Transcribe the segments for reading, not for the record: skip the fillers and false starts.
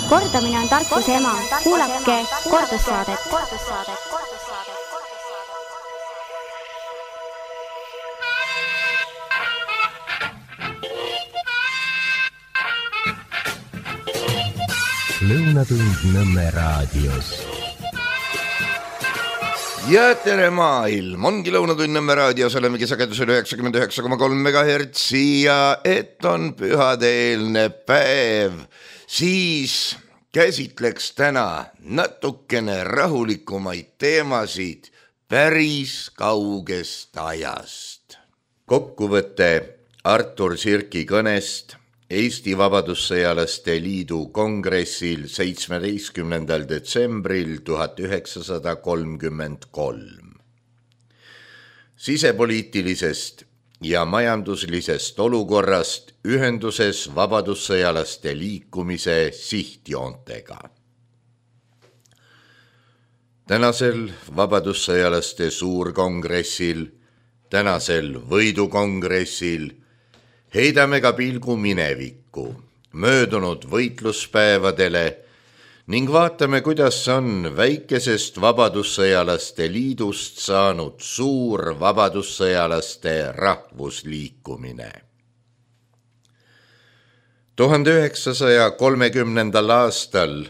Kordamine on tarkuse ema. Kuulake kordussaadet. Lõunatund Nõmme raadios. Ja tere maailm, ongi Lõunatund Nõmme raadios, olemegi sagedusel 99,3 MHz ja et on pühadeelne päev, siis käsitleks täna natukene rahulikumaid teemasid päris kaugest ajast. Kokkuvõte Artur Sirki kõnest Eesti Vabadussõjalaste Liidu kongressil 17. detsembril 1933. Sisepoliitilisest ja majanduslisest olukorrast ühenduses vabadussõjalaste liikumise sihtjoontega. Tänasel vabadussõjalaste suurkongressil, tänasel võidukongressil heidame ka pilgu minevikku, möödunud võitluspäevadele ning vaatame, kuidas on väikesest vabadussõjalaste liidust saanud suur vabadussõjalaste rahvusliikumine. 1930. aastal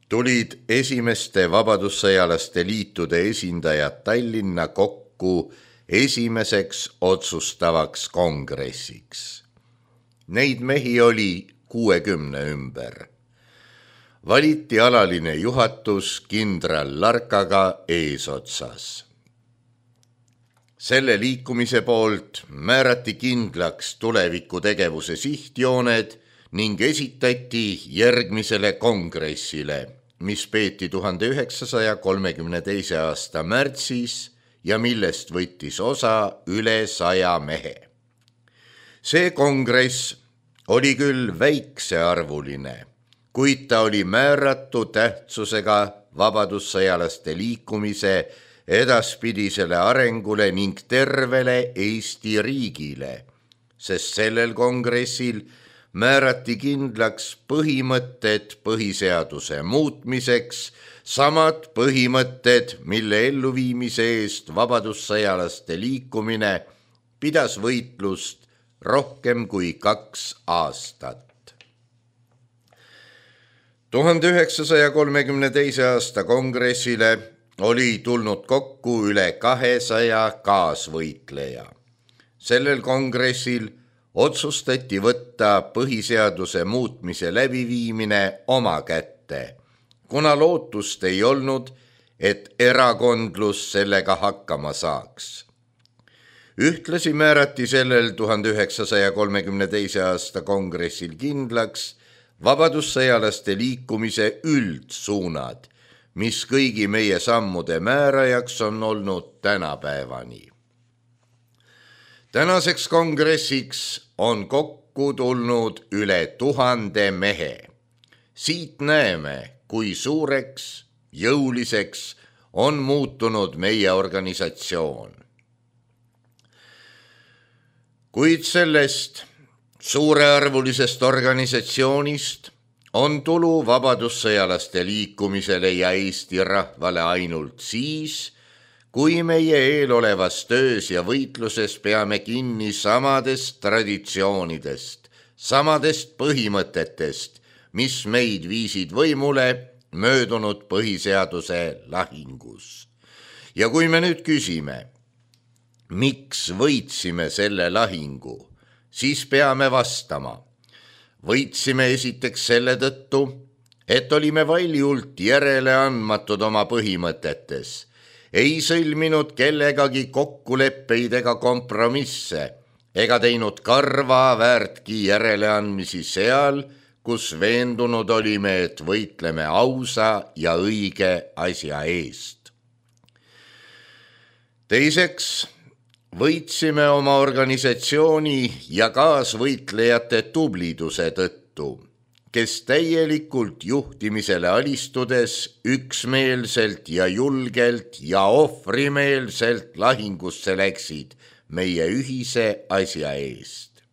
tulid esimeste vabadussõjalaste liitude esindajad Tallinna kokku esimeseks otsustavaks kongressiks. Neid mehi oli 60 ümber. Valiti alaline juhatus kindral Larkaga eesotsas. Selle liikumise poolt määrati kindlaks tulevikutegevuse sihtjooned ning esitati järgmisele kongressile, mis peeti 1932. aasta märtsis ja millest võttis osa üle 100 mehe. See kongress oli küll väiksearvuline, kuid ta oli määratu tähtsusega vabadussõjalaste liikumise edaspidisele arengule ning tervele Eesti riigile, sest sellel kongressil määrati kindlaks põhimõtted põhiseaduse muutmiseks, samad põhimõtted, mille elluviimise eest vabadussõjalaste liikumine pidas võitlust rohkem kui 2 aastat. 1932. aasta kongressile oli tulnud kokku üle 200 kaasvõitleja. Sellel kongressil otsustati võtta põhiseaduse muutmise läbiviimine oma kätte, kuna lootust ei olnud, et erakondlus sellega hakkama saaks. Ühtlasi määrati sellel 1932. aasta kongressil kindlaks vabadussõjalaste liikumise üldsuunad, mis kõigi meie sammude määrajaks on olnud tänapäevani. Tänaseks kongressiks on kokku tulnud üle 1000 mehe. Siit näeme, kui suureks, jõuliseks on muutunud meie organisatsioon. Kuid sellest suurearvulisest organisatsioonist on tulu vabadussõjalaste liikumisele ja Eesti rahvale ainult siis, kui meie eelolevas töös ja võitluses peame kinni samadest traditsioonidest, samadest põhimõtetest, mis meid viisid võimule möödunud põhiseaduse lahingus. Ja kui me nüüd küsime, miks võitsime selle lahingu, siis peame vastama. Võitsime esiteks selle tõttu, et olime valjult järeleandmatud oma põhimõtetes, ei sõlminud kellegagi kokkuleppeid ega kompromisse, ega teinud karva väärtki järeleandmisi seal, kus veendunud olime, et võitleme ausa ja õige asja eest. Teiseks, võitsime oma organisatsiooni ja kaasvõitlejate tubliduse tõttu, kes täielikult juhtimisele alistudes üksmeelselt ja julgelt ja ohvrimeelselt lahingusse läksid meie ühise asja eest.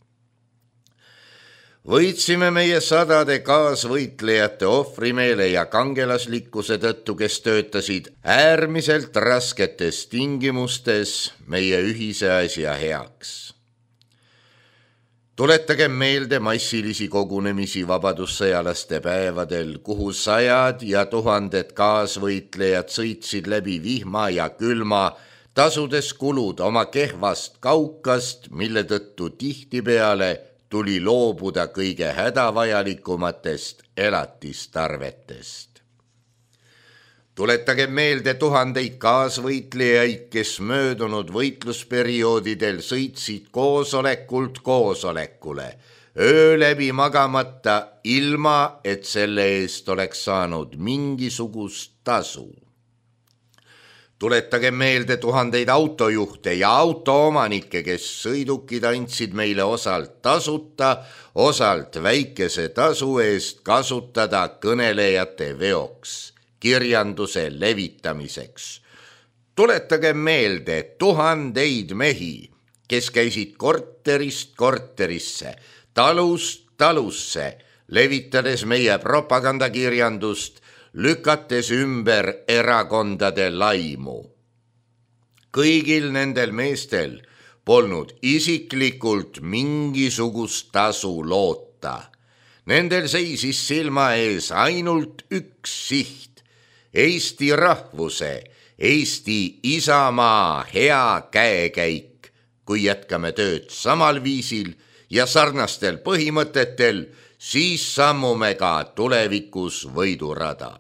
võitsime meie sadade kaasvõitlejate ohvrimeele ja kangelaslikkuse tõttu, kes töötasid äärmiselt rasketes tingimustes meie ühise asja heaks. Tuletagem meelde massilisi kogunemisi vabadussõjalaste päevadel, kuhu sajad ja tuhanded kaasvõitlejad sõitsid läbi vihma ja külma, tasudes kulud oma kehvast kaukast, mille tõttu tihtipeale tuli loobuda kõige hädavajalikumatest elatistarvetest. Tuletagem meelde tuhandeid kaasvõitlejaid, kes möödunud võitlusperioodidel sõitsid koosolekult koosolekule, öö läbi magamata, ilma et selle eest oleks saanud mingisugust tasu. Tuletagem meelde tuhandeid autojuhte ja autoomanikke, kes sõidukid andsid meile osalt tasuta, osalt väikese tasu eest kasutada kõnelejate veoks, kirjanduse levitamiseks. Tuletagem meelde tuhandeid mehi, kes käisid korterist korterisse, talust talusse, levitades meie propagandakirjandust, lükates ümber erakondade laimu. Kõigil nendel meestel polnud isiklikult mingisugust tasu loota. Nendel seisis silma ees ainult üks siht: Eesti rahvuse, Eesti isamaa hea käekäik, kui jätkame tööd samal viisil ja sarnastel põhimõtetel, siis sammume ka tulevikus võidurada.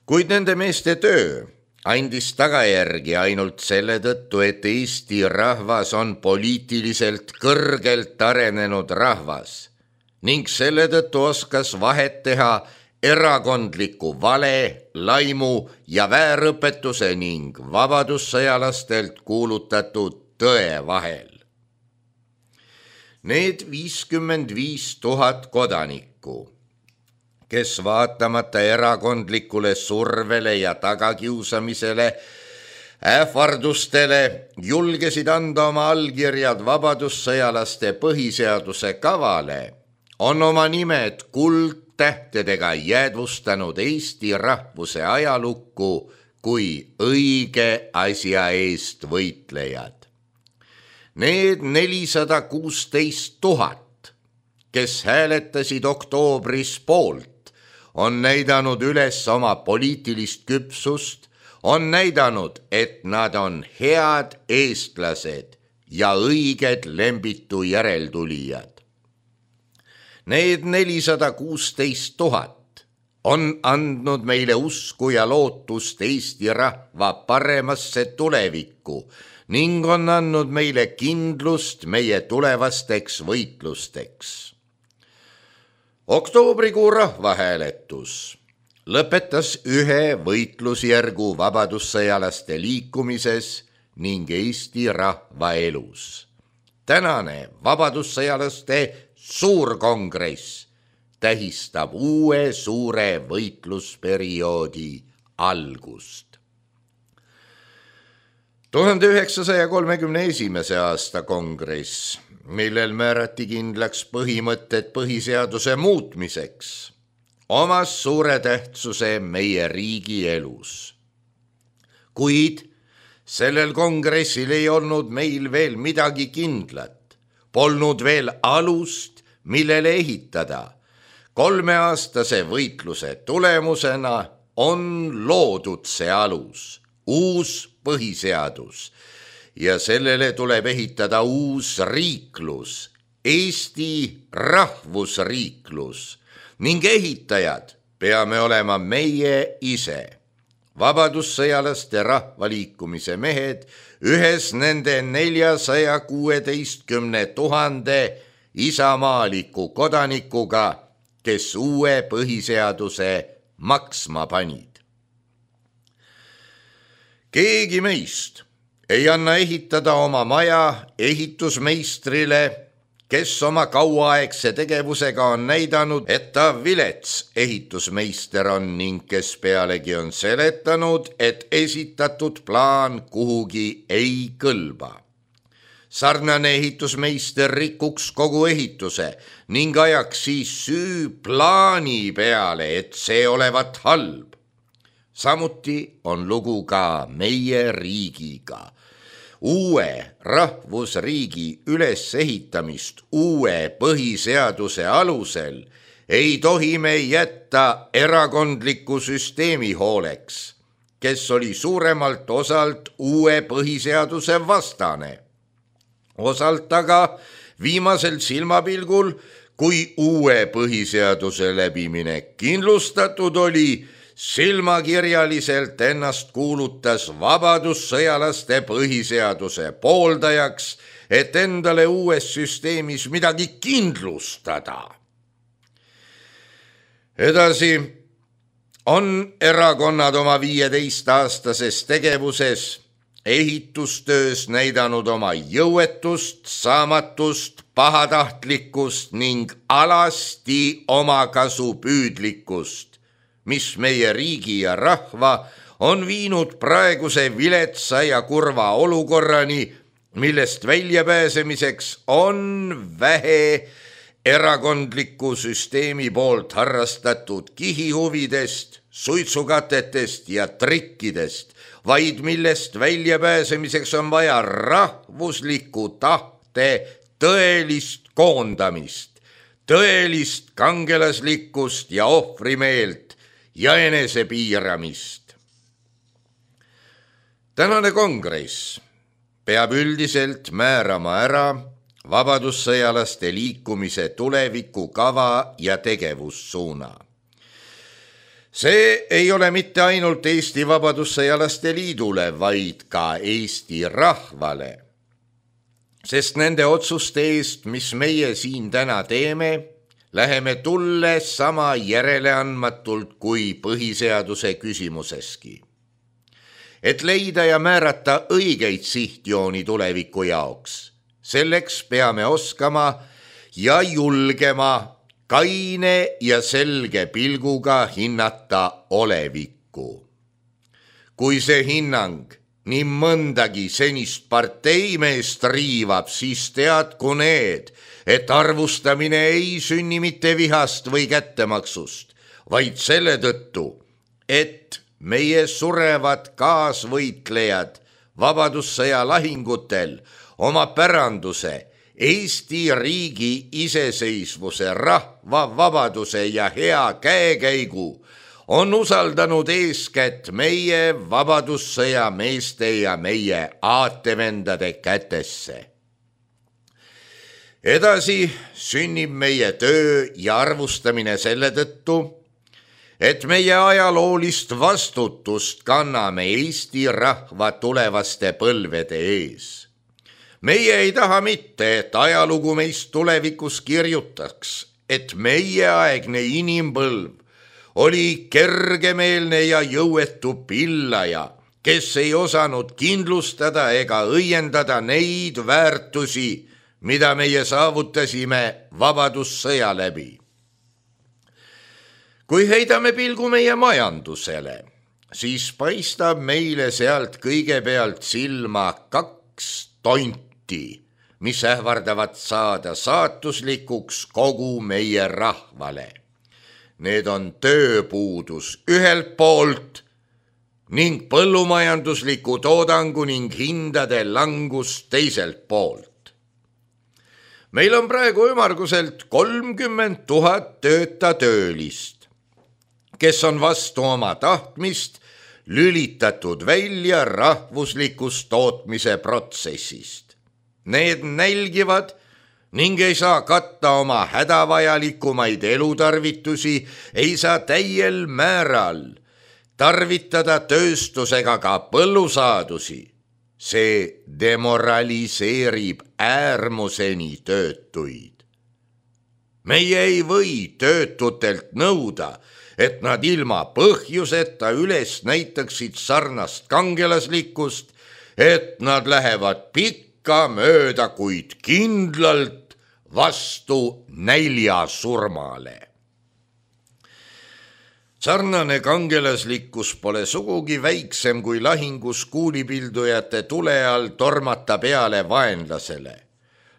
Kuid nende meeste töö andis tagajärgi ainult selle tõttu, et Eesti rahvas on poliitiliselt kõrgelt arenenud rahvas ning selle tõttu oskas vahet teha erakondliku vale, laimu ja väärõpetuse ning vabadussõjalastelt kuulutatud tõe vahel. Need 55 000 kodanikku, kes vaatamata erakondlikule survele ja tagakiusamisele, ähvardustele julgesid anda oma allkirjad vabadussõjalaste põhiseaduse kavale, on oma nimed kuldtähtedega jäädvustanud Eesti rahvuse ajalukku kui õige asja eest võitlejad. Need 416 000, kes hääletasid oktoobris poolt, on näidanud üles oma poliitilist küpsust, on näidanud, et nad on head eestlased ja õiged Lembitu järeltulijad. Need 416 000 on andnud meile usku ja lootust Eesti rahva paremasse tulevikku ning on andnud meile kindlust meie tulevasteks võitlusteks. Oktoobrikuu rahvahääletus lõpetas ühe võitlusjärgu vabadussõjalaste liikumises ning Eesti rahva elus. Tänane vabadussõjalaste suurkongress tähistab uue suure võitlusperioodi algust. 1931. aasta kongress, millel määrati kindlaks põhimõtted põhiseaduse muutmiseks, omas suure tähtsuse meie riigi elus. Kuid sellel kongressil ei olnud meil veel midagi kindlat, polnud veel alust, millele ehitada. 3-aastase võitluse tulemusena on loodud see alus, uus põhiseadus, ja sellele tuleb ehitada uus riiklus, Eesti rahvusriiklus, ning ehitajad peame olema meie ise. Vabadussõjalaste rahvaliikumise mehed ühes nende 416 000 isamaaliku kodanikuga, kes uue põhiseaduse maksma panid. Keegi meist ei anna ehitada oma maja ehitusmeistrile, kes oma kauaaegse tegevusega on näidanud, et ta vilets ehitusmeister on ning kes pealegi on seletanud, et esitatud plaan kuhugi ei kõlba. sarnane ehitusmeister rikuks kogu ehituse ning ajaks siis süü plaani peale, et see olevat halb. Samuti on lugu ka meie riigiga. Uue rahvusriigi ülesehitamist uue põhiseaduse alusel ei tohi me jätta erakondliku süsteemi hooleks, kes oli suuremalt osalt uue põhiseaduse vastane. Osalt aga viimasel silmapilgul, kui uue põhiseaduse läbiminek kindlustatud oli, silmakirjaliselt ennast kuulutas vabadussõjalaste põhiseaduse pooldajaks, et endale uues süsteemis midagi kindlustada. Edasi on erakonnad oma 15-aastases tegevuses ehitustöös näidanud oma jõuetust, saamatust, pahatahtlikkust ning alasti omakasupüüdlikkust, mis meie riigi ja rahva on viinud praeguse viletsa ja kurva olukorrani, millest väljapääsemiseks on vähe erakondliku süsteemi poolt harrastatud kihihuvidest, suitsukatetest ja trikkidest, vaid millest väljapääsemiseks on vaja rahvusliku tahte tõelist koondamist, tõelist kangelaslikkust ja ohvrimeelt ja enesepiiramist. Tänane kongress peab üldiselt määrama ära vabadussõjalaste liikumise tulevikukava ja tegevussuuna. See ei ole mitte ainult Eesti Vabadussõjalaste Liidule, vaid ka Eesti rahvale, sest nende otsuste eest, mis meie siin täna teeme, läheme tulle sama järeleandmatult kui põhiseaduse küsimuseski. Et leida ja määrata õigeid sihtjooni tuleviku jaoks, selleks peame oskama ja julgema kaine ja selge pilguga hinnata olevikku. Kui see hinnang nii mõndagi senist parteimeest riivab, siis teadku need, et arvustamine ei sünni mitte vihast või kättemaksust, vaid selle tõttu, et meie surevad kaasvõitlejad vabadussõja lahingutel oma päranduse, Eesti riigi iseseisvuse, rahva vabaduse ja hea käekäigu on usaldanud eeskätt meie vabadussõja meeste ja meie aatevendade kätesse. Edasi sünnib meie töö ja arvustamine selle tõttu, et meie ajaloolist vastutust kanname Eesti rahva tulevaste põlvede ees. Meie ei taha mitte, et ajalugu meist tulevikus kirjutaks, et meieaegne inimpõlv oli kergemeelne ja jõuetu pillaja, kes ei osanud kindlustada ega õiendada neid väärtusi, mida meie saavutasime vabadussõja läbi. Kui heidame pilgu meie majandusele, siis paistab meile sealt kõigepealt silma 2 tonti, mis ähvardavad saada saatuslikuks kogu meie rahvale. Need on tööpuudus ühelt poolt ning põllumajandusliku toodangu ning hindade langus teiselt poolt. Meil on praegu ümmarguselt 30 000 tööta töölist, kes on vastu oma tahtmist lülitatud välja rahvuslikust tootmise protsessist. Need nälgivad ning ei saa katta oma hädavajalikumaid elutarvitusi, ei saa täiel määral tarvitada tööstusega ka põllusaadusi. See demoraliseerib äärmuseni töötuid. Meie ei või töötutelt nõuda, et nad ilma põhjuseta üles näitaksid sarnast kangelaslikkust, et nad lähevad pikka mööda, kuid kindlalt vastu näljasurmale. Sarnane kangelaslikkus pole sugugi väiksem kui lahingus kuulipildujate tule all tormata peale vaenlasele.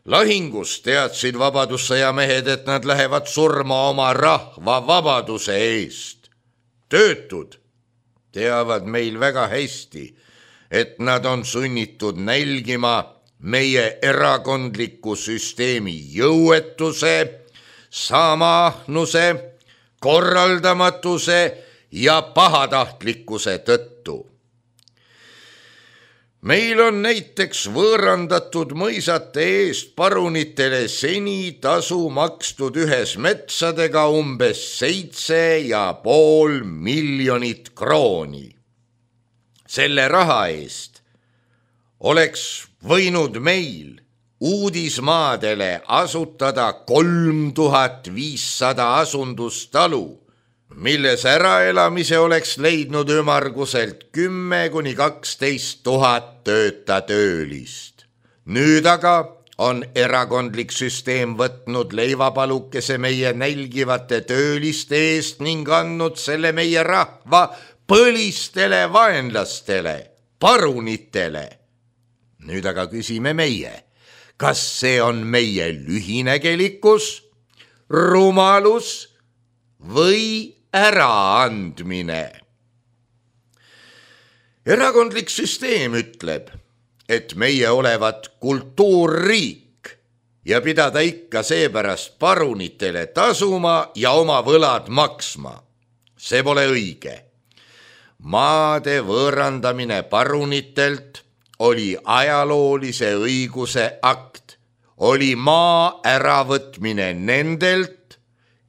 Lahingus teadsid vabadussõjamehed, et nad lähevad surma oma rahva vabaduse eest. Töötud teavad meil väga hästi, et nad on sunnitud nälgima meie erakondliku süsteemi jõuetuse, samaahnuse, korraldamatuse ja pahatahtlikkuse tõttu. Meil on näiteks võõrandatud mõisate eest parunitele seni tasu makstud ühes metsadega umbes 7,5 miljonit krooni. Selle raha eest oleks võinud meil uudismaadele asutada 3500 asundustalu, milles äraelamise oleks leidnud ümmarguselt 10,000–12 000 töölist. Nüüd aga on erakondlik süsteem võtnud leivapalukese meie nälgivate tööliste eest ning andnud selle meie rahva põlistele vaenlastele, parunitele. Nüüd aga küsime meie, kas see on meie lühinägelikkus, rumalus või äraandmine? Erakondlik süsteem ütleb, et meie olevat kultuurriik ja pidada ikka seepärast parunitele tasuma ja oma võlad maksma. See pole õige. Maade võõrandamine parunitelt oli ajaloolise õiguse akt, oli maa äravõtmine nendelt,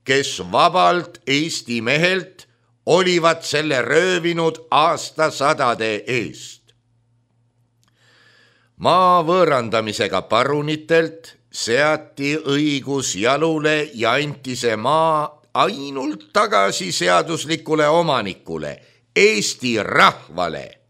kes vabalt Eesti mehelt olivat selle röövinud aastasadade eest. Maa võõrandamisega parunitelt seati õigus jalule ja anti see maa ainult tagasi seaduslikule omanikule, Eesti rahvale.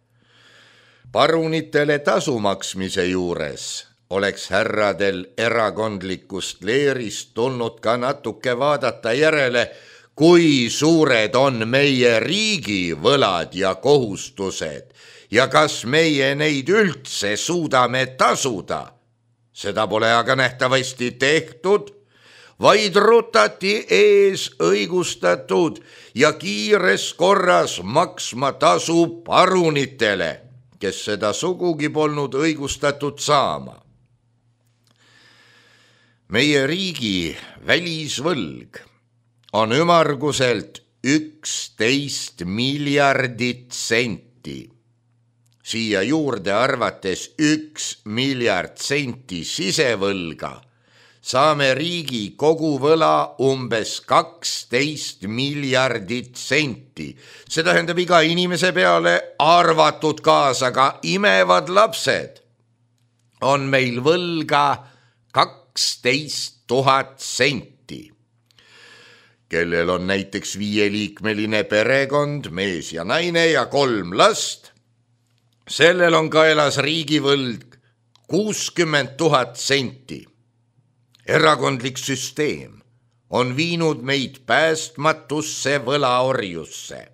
Parunitele tasu maksmise juures oleks härradel erakondlikust leerist tulnud ka natuke vaadata järele, kui suured on meie riigi võlad ja kohustused ja kas meie neid üldse suudame tasuda. Seda pole aga nähtavasti tehtud, vaid rutati ees õigustatud ja kiires korras maksma tasu parunitele, kes seda sugugi polnud õigustatud saama. Meie riigi välisvõlg on ümmarguselt 11 miljardit senti. Siia juurde arvates 1 miljard senti sisevõlga, saame riigi koguvõla umbes 12 miljardit senti. See tähendab iga inimese peale, arvatud kaasa ka imevad lapsed, on meil võlga 12 000 senti. Kellel on näiteks 5-liikmeline perekond, mees ja naine ja 3 last, sellel on kaelas riigivõlg 60 000 senti. Erakondlik süsteem on viinud meid päästmatusse võlaorjusse.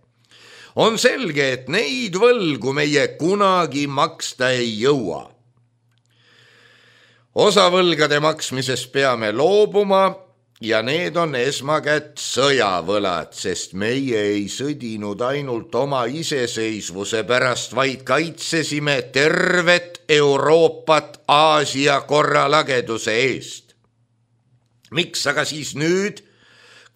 On selge, et neid võlgu meie kunagi maksta ei jõua. Osa võlgade maksmisest peame loobuma ja need on esmakätt sõjavõlad, sest meie ei sõdinud ainult oma iseseisvuse pärast, vaid kaitsesime tervet Euroopat Aasia korralageduse eest. Miks aga siis nüüd,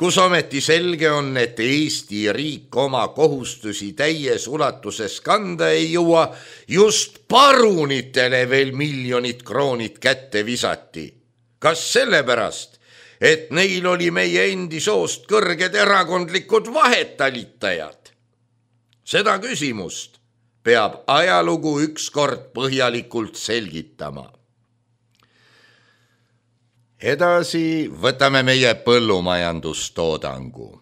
kus ometi selge on, et Eesti riik oma kohustusi täies ulatuses kanda ei jõua, just parunitele veel miljonid kroonid kätte visati? Kas sellepärast, et neil oli meie endi soost kõrged erakondlikud vahetalitajad? Seda küsimust peab ajalugu ükskord põhjalikult selgitama. Edasi võtame meie põllumajandustoodangu.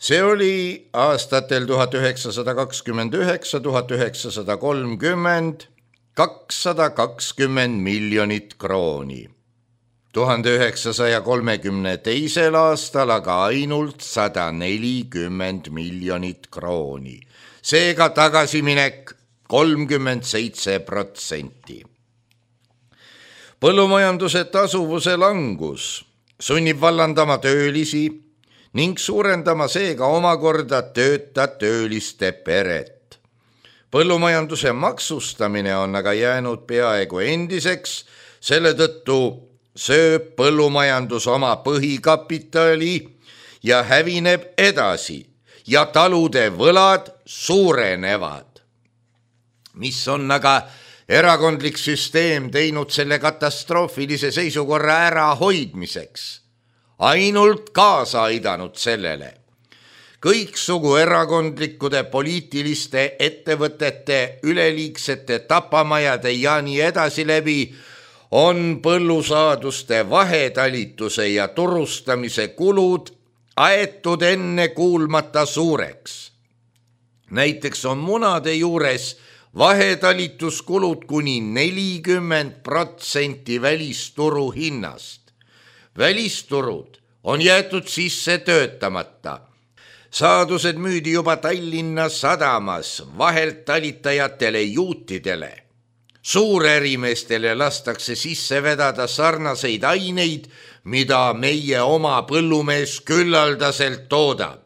See oli aastatel 1929–1930 220 miljonit krooni. 1932. aastal aga ainult 140 miljonit krooni. Seega tagasiminek 37%. Põllumajanduse tasuvuse langus sunnib vallandama töölisi ning suurendama seega omakorda tööliste peret. Põllumajanduse maksustamine on aga jäänud peaaegu endiseks, selle tõttu sööb põllumajandus oma põhikapitali ja hävineb edasi ja talude võlad suurenevad. Mis on aga erakondlik süsteem teinud selle katastroofilise seisukorra ärahoidmiseks? Ainult kaasa aidanud sellele. Kõiksugu erakondlikude poliitiliste ettevõtete, üleliigsete tapamajade ja nii edasi läbi on põllusaaduste vahetalituse ja turustamise kulud aetud enne kuulmata suureks. Näiteks on munade juures vahetalituskulud kuni 40% välisturu hinnast. Välisturud on jäetud sisse töötamata. Saadused müüdi juba Tallinna sadamas vahelt talitajatele juutidele. Suurärimeestele lastakse sisse vedada sarnaseid aineid, mida meie oma põllumees küllaldaselt toodab.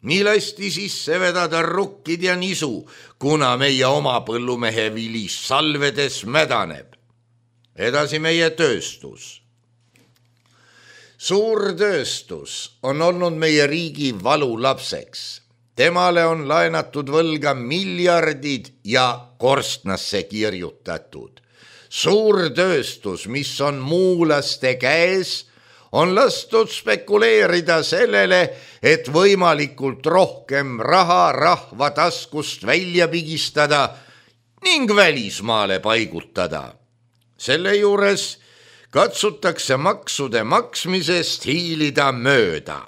Nii lasti sisse vedada rukkid ja nisu, kuna meie oma põllumehe vili salvedes mädaneb. Edasi meie tööstus. Suurtööstus on olnud meie riigi valulapseks. Temale on laenatud võlga miljardid ja korstnasse kirjutatud. Suurtööstus, mis on muulaste käes, on lastud spekuleerida sellele, et võimalikult rohkem raha rahva taskust välja pigistada ning välismaale paigutada. Selle juures katsutakse maksude maksmisest hiilida mööda.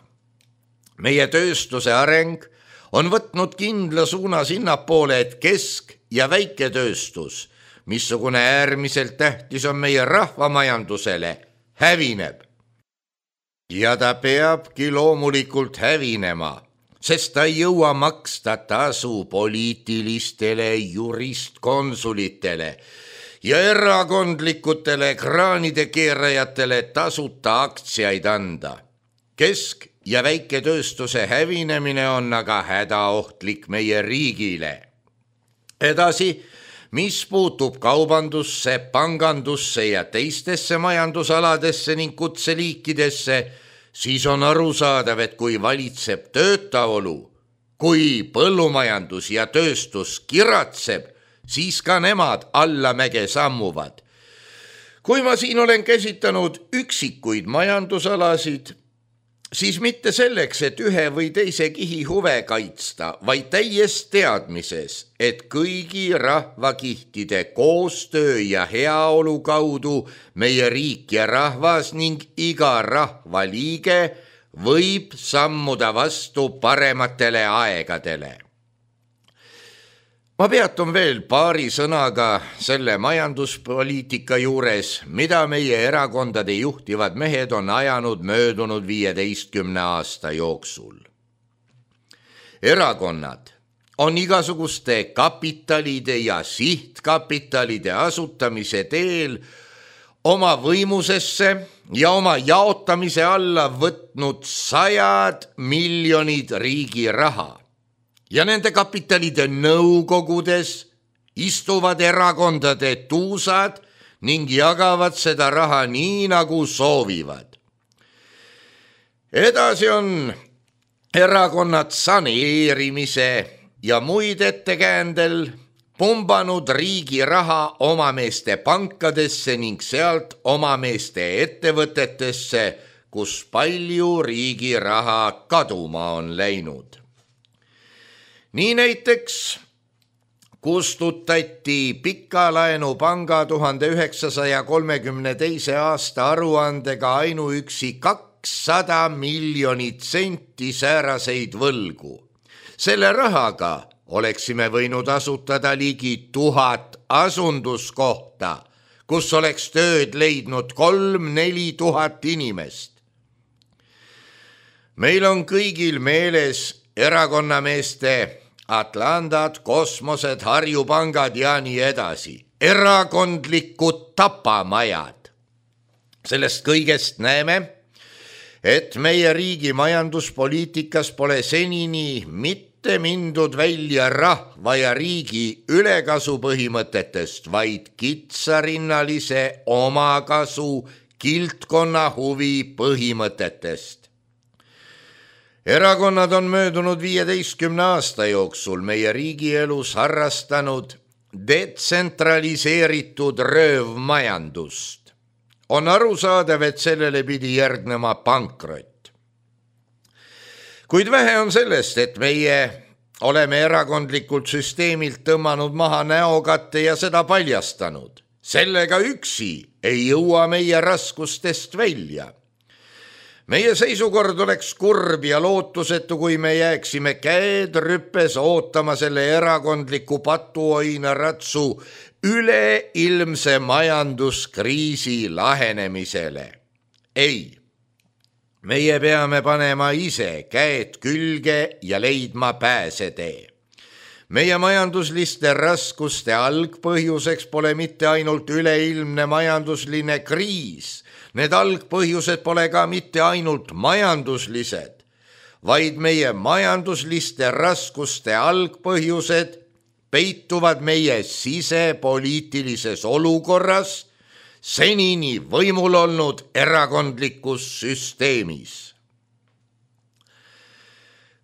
Meie tööstuse areng on võtnud kindla suuna sinnapoole, et kesk- ja väiketööstus, missugune äärmiselt tähtis on meie rahvamajandusele, hävineb. Ja ta peabki loomulikult hävinema, sest ta ei jõua maksta tasu poliitilistele juristkonsulitele ja erakondlikutele kraanide keerajatele tasuta aktsiaid anda. Kesk- ja väiketööstuse hävinemine on aga hädaohtlik meie riigile. Edasi, mis puutub kaubandusse, pangandusse ja teistesse majandusaladesse ning kutseliikidesse, siis on arusaadav, et kui valitseb töötaolu, kui põllumajandus ja tööstus kiratseb, siis ka nemad allamäge sammuvad. Kui ma siin olen käsitanud üksikuid majandusalasid, siis mitte selleks, et ühe või teise kihi huve kaitsta, vaid täies teadmises, et kõigi rahvakihtide koostöö ja heaolu kaudu meie riik ja rahvas ning iga rahvaliige võib sammuda vastu parematele aegadele. Ma peatun veel paari sõnaga selle majanduspoliitika juures, mida meie erakondade juhtivad mehed on ajanud möödunud 15 aasta jooksul. Erakonnad on igasuguste kapitalide ja sihtkapitalide asutamise teel oma võimusesse ja oma jaotamise alla võtnud 100 miljonid riigi raha. Ja nende kapitalide nõukogudes istuvad erakondade tuusad ning jagavad seda raha nii, nagu soovivad. Edasi on erakonnad saneerimise ja muid ettekäändel pumbanud riigi raha omameeste pankadesse ning sealt omameeste ettevõtetesse, kus palju riigi raha kaduma on läinud. Nii näiteks kustutati Pikalaenupanga 1932. aasta aruandega ainuüksi 200 miljonit senti sääraseid võlgu. Selle rahaga oleksime võinud asutada ligi 1000 asunduskohta, kus oleks tööd leidnud 3-4 tuhat inimest. Meil on kõigil meeles erakonnameeste Atlantad, kosmosed, Harjupangad ja nii edasi. Erakondlikud tapamajad. Sellest kõigest näeme, et meie riigi majanduspoliitikas pole senini mitte mindud välja rahva ja riigi ülekasu põhimõtetest, vaid kitsarinnalise omakasu kildkonna huvi põhimõtetest. Erakonnad on möödunud 15 aasta jooksul meie riigielus harrastanud detsentraliseeritud röövmajandust. On arusaadav, et sellele pidi järgnema pankrot. Kuid vähe on sellest, et meie oleme erakondlikult süsteemilt tõmmanud maha näokatte ja seda paljastanud. Sellega üksi ei jõua meie raskustest välja. Meie seisukord oleks kurb ja lootusetu, kui me jääksime käed rüppes ootama selle erakondliku patuoina ratsu üleilmse majanduskriisi lahenemisele. Ei, meie peame panema ise käed külge ja leidma pääsetee. Meie majandusliste raskuste algpõhjuseks pole mitte ainult üleilmne majandusline kriis. Need algpõhjused pole ka mitte ainult majanduslised, vaid meie majandusliste raskuste algpõhjused peituvad meie sisepoliitilises olukorras senini võimul olnud erakondlikus süsteemis.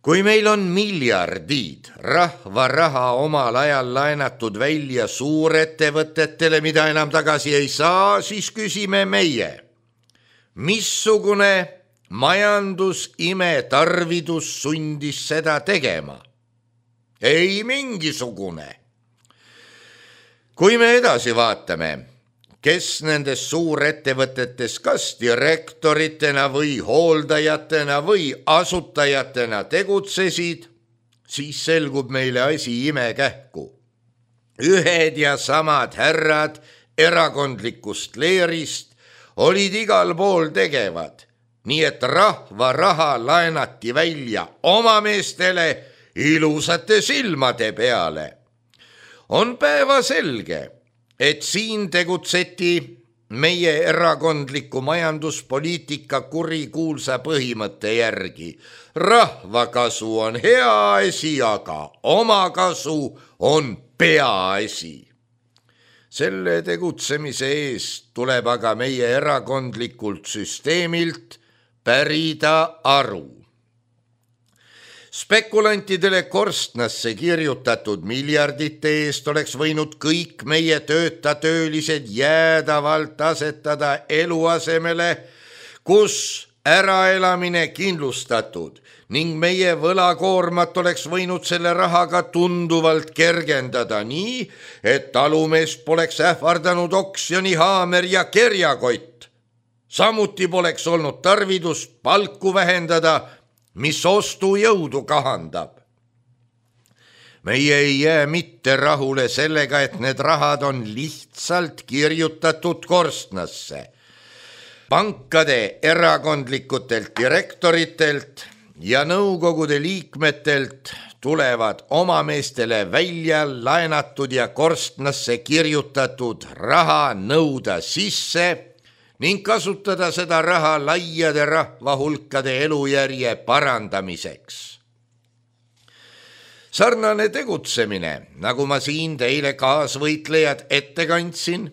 Kui meil on miljardid rahva raha omal ajal laenatud välja suurettevõtetele, mida enam tagasi ei saa, siis küsime meie, missugune majandusimetarvidus sundis seda tegema? Ei mingisugune. Kui me edasi vaatame, kes nendes suurettevõtetes kas direktoritena või hooldajatena või asutajatena tegutsesid, siis selgub meile asi imekähku. Ühed ja samad härrad erakondlikust leerist olid igal pool tegevad, nii et rahva raha laenati välja oma meestele ilusate silmade peale. On päevaselge, et siin tegutseti meie erakondliku majanduspoliitika kurikuulsa põhimõtte järgi. Rahvakasu on hea asi, aga omakasu on peaasi. Selle tegutsemise eest tuleb aga meie erakondlikult süsteemilt pärida aru. Spekulantidele korstnasse kirjutatud miljardite eest oleks võinud kõik meie töölised jäädavalt asetada eluasemele, kus äraelamine kindlustatud ning meie võlakoormat oleks võinud selle rahaga tunduvalt kergendada nii, et talumeest poleks ähvardanud oksjonihaamer ja kerjakott. Samuti poleks olnud tarvidust palku vähendada, mis ostujõudu kahandab. Meie ei jää mitte rahule sellega, et need rahad on lihtsalt kirjutatud korstnasse. Pankade erakondlikutelt direktoritelt ja nõukogude liikmetelt tulevad omameestele välja laenatud ja korstnasse kirjutatud raha nõuda sisse ning kasutada seda raha laiade rahvahulkade elujärje parandamiseks. Sarnane tegutsemine, nagu ma siin teile kaasvõitlejad ette kandsin,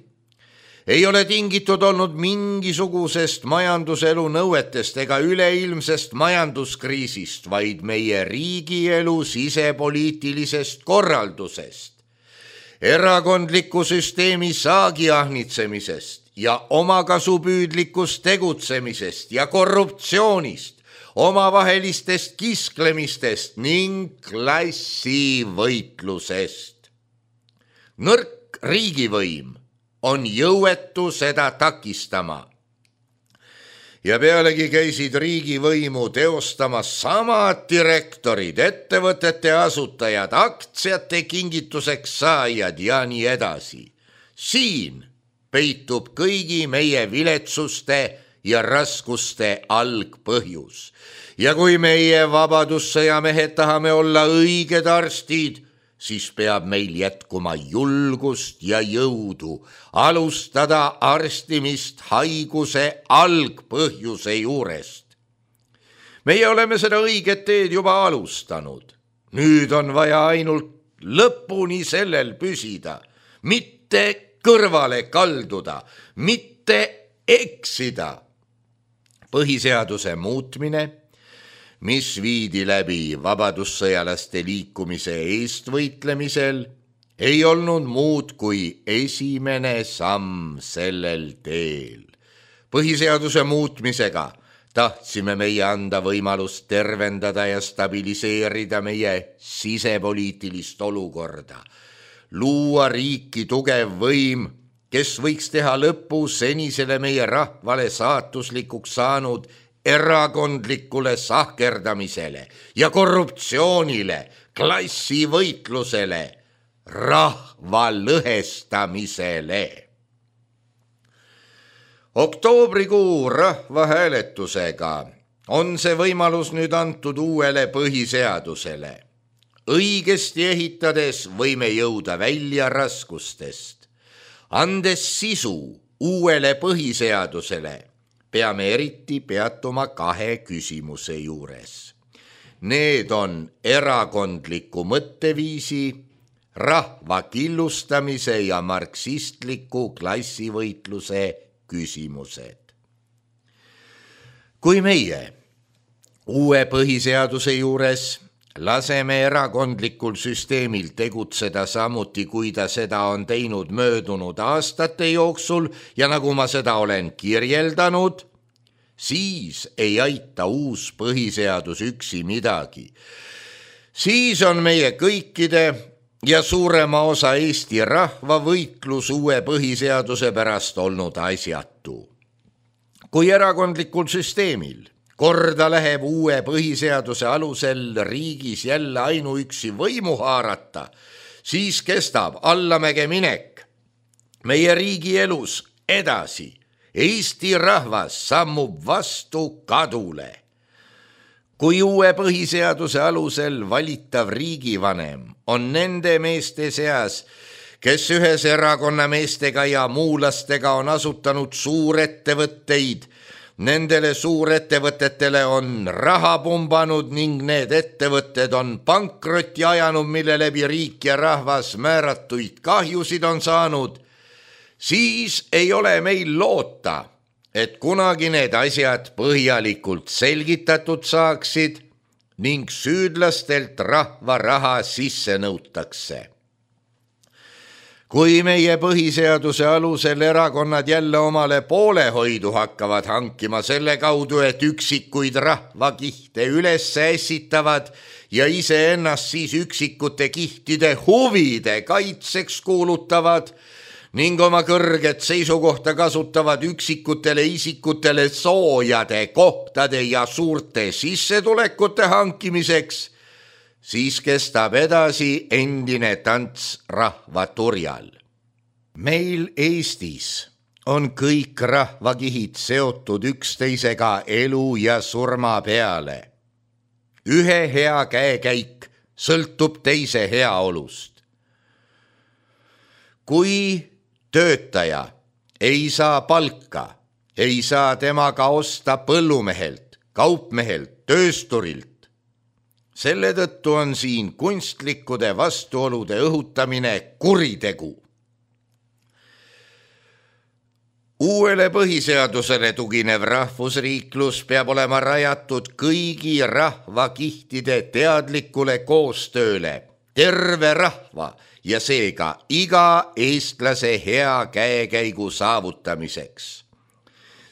ei ole tingitud olnud mingisugusest majanduselu nõuetest ega üleilmsest majanduskriisist, vaid meie riigielu sisepoliitilisest korraldusest, erakondliku süsteemi saagiahnitsemisest ja omakasupüüdlikust tegutsemisest ja korruptsioonist, omavahelistest kisklemistest ning klassivõitlusest. Nõrk riigivõim on jõuetu seda takistama. Ja pealegi käisid riigivõimu teostamas samad direktorid, ettevõtete asutajad, aktsiate kingituseks saajad ja nii edasi. Siin peitub kõigi meie viletsuste ja raskuste algpõhjus. Ja kui meie vabadussõjamehed tahame olla õiged arstid, siis peab meil jätkuma julgust ja jõudu alustada arstimist haiguse algpõhjuse juurest. Meie oleme seda õiget teed juba alustanud. Nüüd on vaja ainult lõpuni sellel püsida, mitte kõrvale kalduda, mitte eksida. Põhiseaduse muutmine, mis viidi läbi vabadussõjalaste liikumise eestvõitlemisel, ei olnud muud kui esimene samm sellel teel. Põhiseaduse muutmisega tahtsime meie anda võimalust tervendada ja stabiliseerida meie sisepoliitilist olukorda, luua riiki tugev võim, kes võiks teha lõpu senisele meie rahvale saatuslikuks saanud erakondlikule sahkerdamisele ja korruptsioonile, klassivõitlusele, rahva lõhestamisele. Oktoobrikuu rahvahääletusega on see võimalus nüüd antud uuele põhiseadusele. Õigesti ehitades võime jõuda välja raskustest. Andes sisu uuele põhiseadusele, peame eriti peatuma 2 küsimuse juures. Need on erakondliku mõtteviisi, rahva killustamise ja marksistliku klassivõitluse küsimused. Kui meie uue põhiseaduse juures laseme erakondlikul süsteemil tegutseda samuti, kui ta seda on teinud möödunud aastate jooksul ja nagu ma seda olen kirjeldanud, siis ei aita uus põhiseadus üksi midagi. Siis on meie kõikide ja suurema osa Eesti rahva võitlus uue põhiseaduse pärast olnud asjatu. Kui erakondlikul süsteemil korda läheb uue põhiseaduse alusel riigis jälle ainuüksi võimu haarata, siis kestab allamäge minek meie riigi elus edasi. Eesti rahvas sammub vastu kadule. Kui uue põhiseaduse alusel valitav riigivanem on nende meeste seas, kes ühes erakonna meestega ja muulastega on asutanud suurettevõtteid, nendele suurettevõtetele on raha pumbanud ning need ettevõtted on pankrotti ajanud, mille läbi riik ja rahvas määratuid kahjusid on saanud, siis ei ole meil loota, et kunagi need asjad põhjalikult selgitatud saaksid ning süüdlastelt rahva raha sisse nõutakse. Kui meie põhiseaduse alusel erakonnad jälle omale poolehoidu hakkavad hankima selle kaudu, et üksikuid rahvakihte üles ässitavad ja iseennast siis üksikute kihtide huvide kaitseks kuulutavad, ning oma kõrget seisukohta kasutavad üksikutele isikutele soojade kohtade ja suurte sissetulekute hankimiseks, siis kestab edasi endine tants rahva turjal. Meil Eestis on kõik rahvakihid seotud üksteisega elu ja surma peale. Ühe hea käekäik sõltub teise heaolust. Kui töötaja ei saa palka, ei saa temaga osta põllumehelt, kaupmehelt, töösturilt. Selle tõttu on siin kunstlikkude vastuolude õhutamine kuritegu. Uuele põhiseadusele tuginev rahvusriiklus peab olema rajatud kõigi rahvakihtide teadlikule koostööle, terve rahva ja seega iga eestlase hea käekäigu saavutamiseks.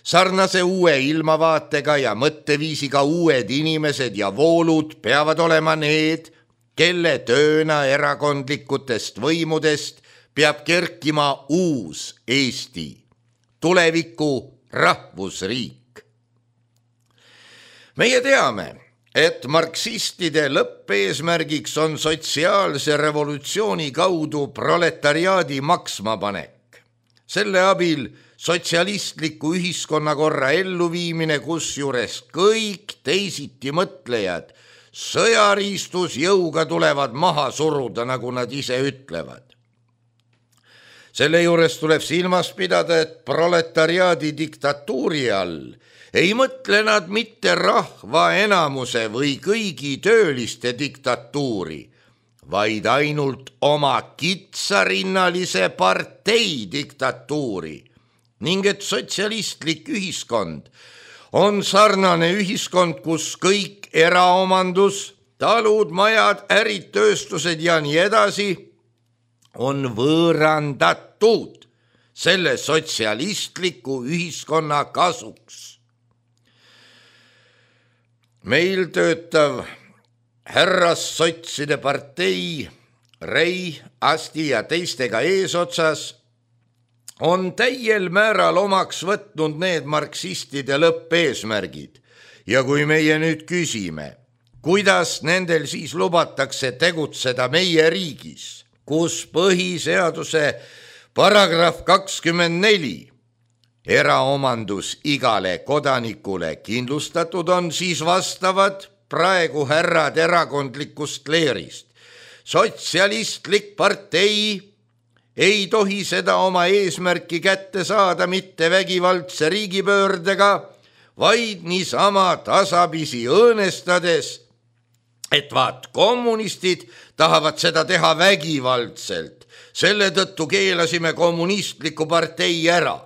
Sarnase uue ilmavaatega ja mõtteviisiga uued inimesed ja voolud peavad olema need, kelle tööna erakondlikutest võimudest peab kerkima uus Eesti, tuleviku rahvusriik. Meie teame, et marksistide lõppeesmärgiks on sotsiaalse revolutsiooni kaudu proletariaadi maksmapanek. Selle abil sotsialistliku ühiskonnakorra elluviimine, kusjuures kõik teisiti mõtlejad sõjariistus jõuga tulevad maha suruda, nagu nad ise ütlevad. Selle juures tuleb silmas pidada, et proletariaadi diktatuuri all ei mõtle nad mitte rahva enamuse või kõigi tööliste diktatuuri, vaid ainult oma kitsarinnalise partei diktatuuri ning et sotsialistlik ühiskond on sarnane ühiskond, kus kõik eraomandus, talud, majad, ärid, tööstused ja nii edasi on võõrandatud selle sotsialistliku ühiskonna kasuks. Meil töötav härrassotside partei Rei, Asti ja teistega eesotsas on täiel määral omaks võtnud need marksistide lõppeesmärgid ja kui meie nüüd küsime, kuidas nendel siis lubatakse tegutseda meie riigis, kus põhiseaduse paragrahv 24 eraomandus igale kodanikule kindlustatud on, siis vastavad praegu härrad erakondlikust leerist. Sotsialistlik partei ei tohi seda oma eesmärki kätte saada mitte vägivaldse riigipöördega, vaid niisama tasapisi õõnestades, et vaat kommunistid tahavad seda teha vägivaldselt, selle tõttu keelasime kommunistliku partei ära.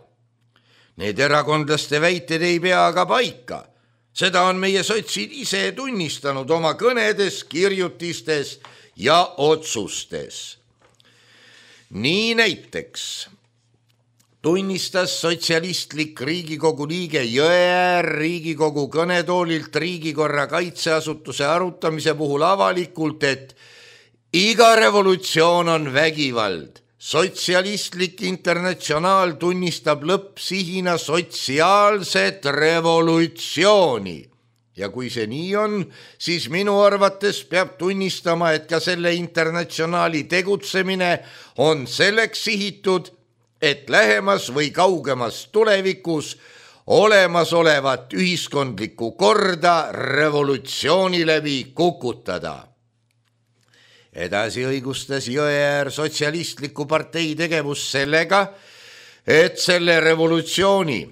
Need erakondlaste väited ei pea aga paika. Seda on meie sotsid ise tunnistanud oma kõnedes, kirjutistes ja otsustes. Nii näiteks tunnistas sotsialistlik Riigikogu liige Jõeäär Riigikogu kõnetoolilt riigikorra kaitseasutuse arutamise puhul avalikult, et iga revolutsioon on vägivald. Sotsialistlik internatsionaal tunnistab lõppsihina sotsiaalset revolutsiooni. Ja kui see nii on, siis minu arvates peab tunnistama, et ka selle internatsionaali tegutsemine on selleks sihitud, et lähemas või kaugemas tulevikus olemasolevat ühiskondlikku korda revolutsiooni läbi kukutada. Edasi õigustas Jõeäär sotsialistliku partei tegevus sellega, et selle revolutsiooni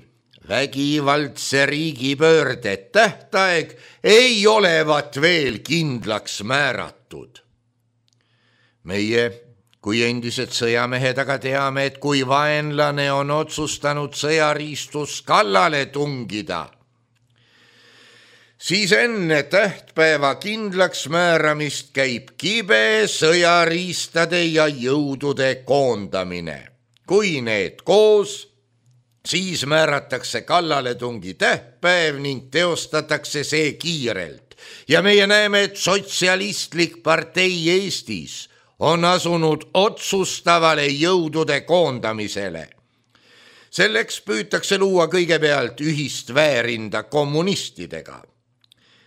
vägivaldse riigipöörde tähtaeg ei olevat veel kindlaks määratud. Meie kui endised sõjamehed aga teame, et kui vaenlane on otsustanud sõjariistus kallale tungida, siis enne tähtpäeva kindlaks määramist käib kibe sõjariistade ja jõudude koondamine. Kui need koos, siis määratakse kallaletungi tähtpäev ning teostatakse see kiirelt. Ja meie näeme, et sotsialistlik partei Eestis on asunud otsustavale jõudude koondamisele. Selleks püütakse luua kõigepealt ühist väärinda kommunistidega.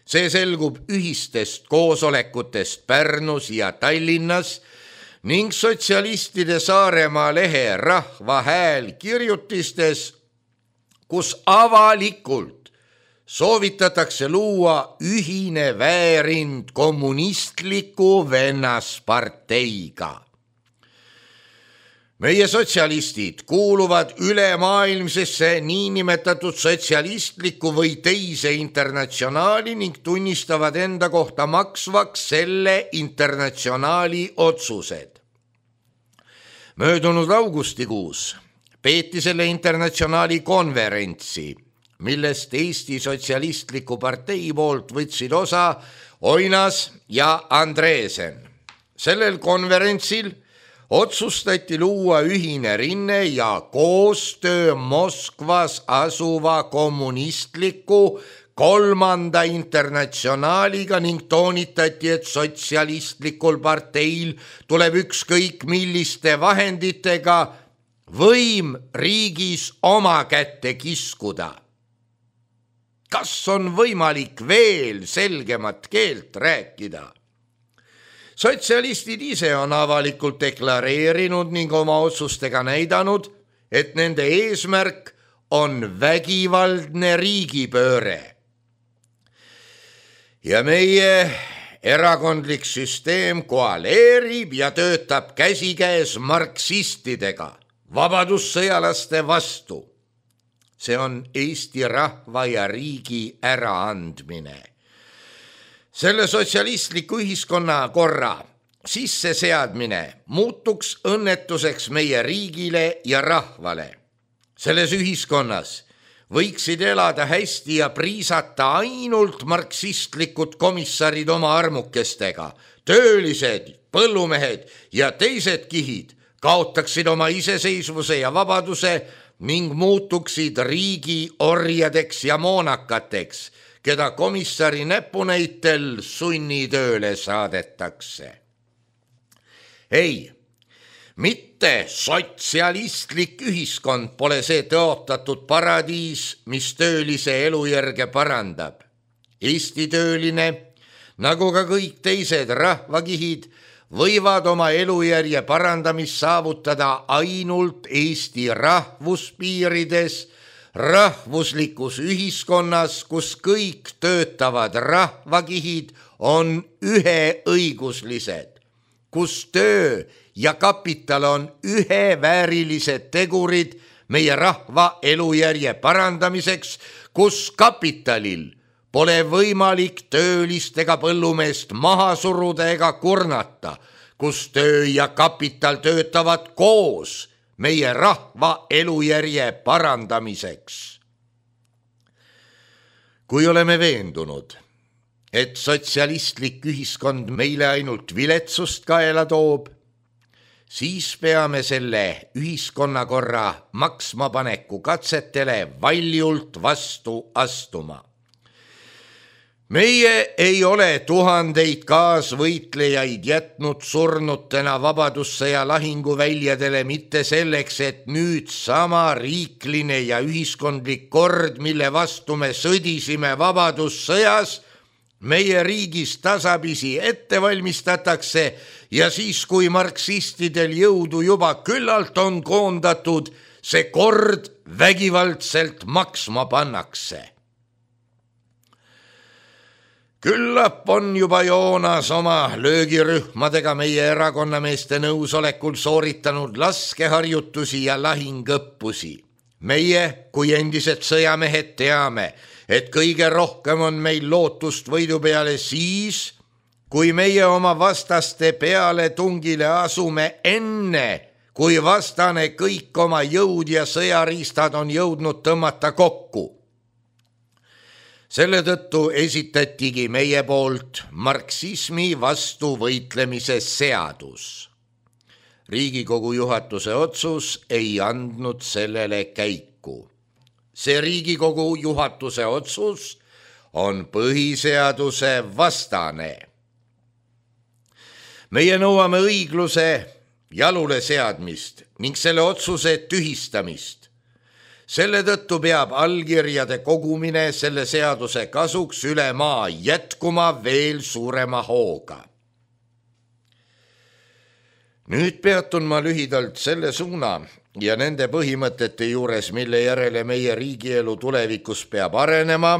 See selgub ühistest koosolekutest Pärnus ja Tallinnas ning sotsialistide Saaremaa lehe Rahva Hääl kirjutistes, kus avalikult soovitatakse luua ühine väärind kommunistliku vennasparteiga. Meie sotsialistid kuuluvad ülemaailmsesse niinimetatud sotsialistliku või teise internatsionaali ning tunnistavad enda kohta maksvaks selle internatsionaali otsused. Möödunud augustikuus peeti selle internatsionaali konverentsi, millest Eesti Sotsialistliku partei poolt võtsid osa Oinas ja Andresen. Sellel konverentsil otsustati luua ühine rinne ja koostöö Moskvas asuva kommunistliku kolmanda internatsionaaliga ning toonitati, et sotsialistlikul parteil tuleb ükskõik milliste vahenditega võim riigis oma kätte kiskuda. Kas on võimalik veel selgemat keelt rääkida? Sotsialistid ise on avalikult deklareerinud ning oma otsustega näidanud, et nende eesmärk on vägivaldne riigipööre. Ja meie erakondlik süsteem koaleerib ja töötab käsikäes marksistidega, vabadussõjalaste vastu. See on Eesti rahva ja riigi äraandmine. Selle sotsialistliku ühiskonnakorra sisseseadmine muutuks õnnetuseks meie riigile ja rahvale. Selles ühiskonnas võiksid elada hästi ja priisata ainult marksistlikud komissarid oma armukestega. Töölised, põllumehed ja teised kihid kaotaksid oma iseseisvuse ja vabaduse ning muutuksid riigi orjadeks ja moonakateks, keda komissari näpunäitel sunnitööle saadetakse. Ei, mitte sotsialistlik ühiskond pole see tõotatud paradiis, mis töölise elujärge parandab. Eesti tööline, nagu ka kõik teised rahvakihid, võivad oma elujärje parandamist saavutada ainult Eesti rahvuspiirides, rahvuslikus ühiskonnas, kus kõik töötavad rahvakihid on üheõiguslised, kus töö ja kapital on üheväärilised tegurid meie rahva elujärje parandamiseks, kus kapitalil pole võimalik töölist ega põllumeest maha suruda ega kurnata, kus töö ja kapital töötavad koos meie rahva elujärje parandamiseks. Kui oleme veendunud, et sotsialistlik ühiskond meile ainult viletsust kaela toob, siis peame selle ühiskonnakorra maksmapaneku katsetele valjult vastu astuma. Meie ei ole tuhandeid kaasvõitlejaid jätnud surnutena vabadussõja lahinguväljadele mitte selleks, et nüüd sama riikline ja ühiskondlik kord, mille vastu me sõdisime vabadussõjas, meie riigis tasapisi ette valmistatakse ja siis, kui marksistidel jõudu juba küllalt on koondatud, see kord vägivaldselt maksma pannakse. Küllap on juba Joonas oma löögirühmadega meie erakonnameeste nõusolekul sooritanud laskeharjutusi ja lahingõppusi. Meie, kui endised sõjamehed, teame, et kõige rohkem on meil lootust võidu peale siis, kui meie oma vastaste peale tungile asume enne, kui vastane kõik oma jõud ja sõjariistad on jõudnud tõmmata kokku. Selle tõttu esitatigi meie poolt marksismi vastu võitlemise seadus. Riigikogu juhatuse otsus ei andnud sellele käiku. See Riigikogu juhatuse otsus on põhiseaduse vastane. Meie nõuame õigluse jalule seadmist ning selle otsuse tühistamist. Selle tõttu peab allkirjade kogumine selle seaduse kasuks üle maa jätkuma veel suurema hooga. Nüüd peatun ma lühidalt selle suuna ja nende põhimõtete juures, mille järele meie riigielu tulevikus peab arenema,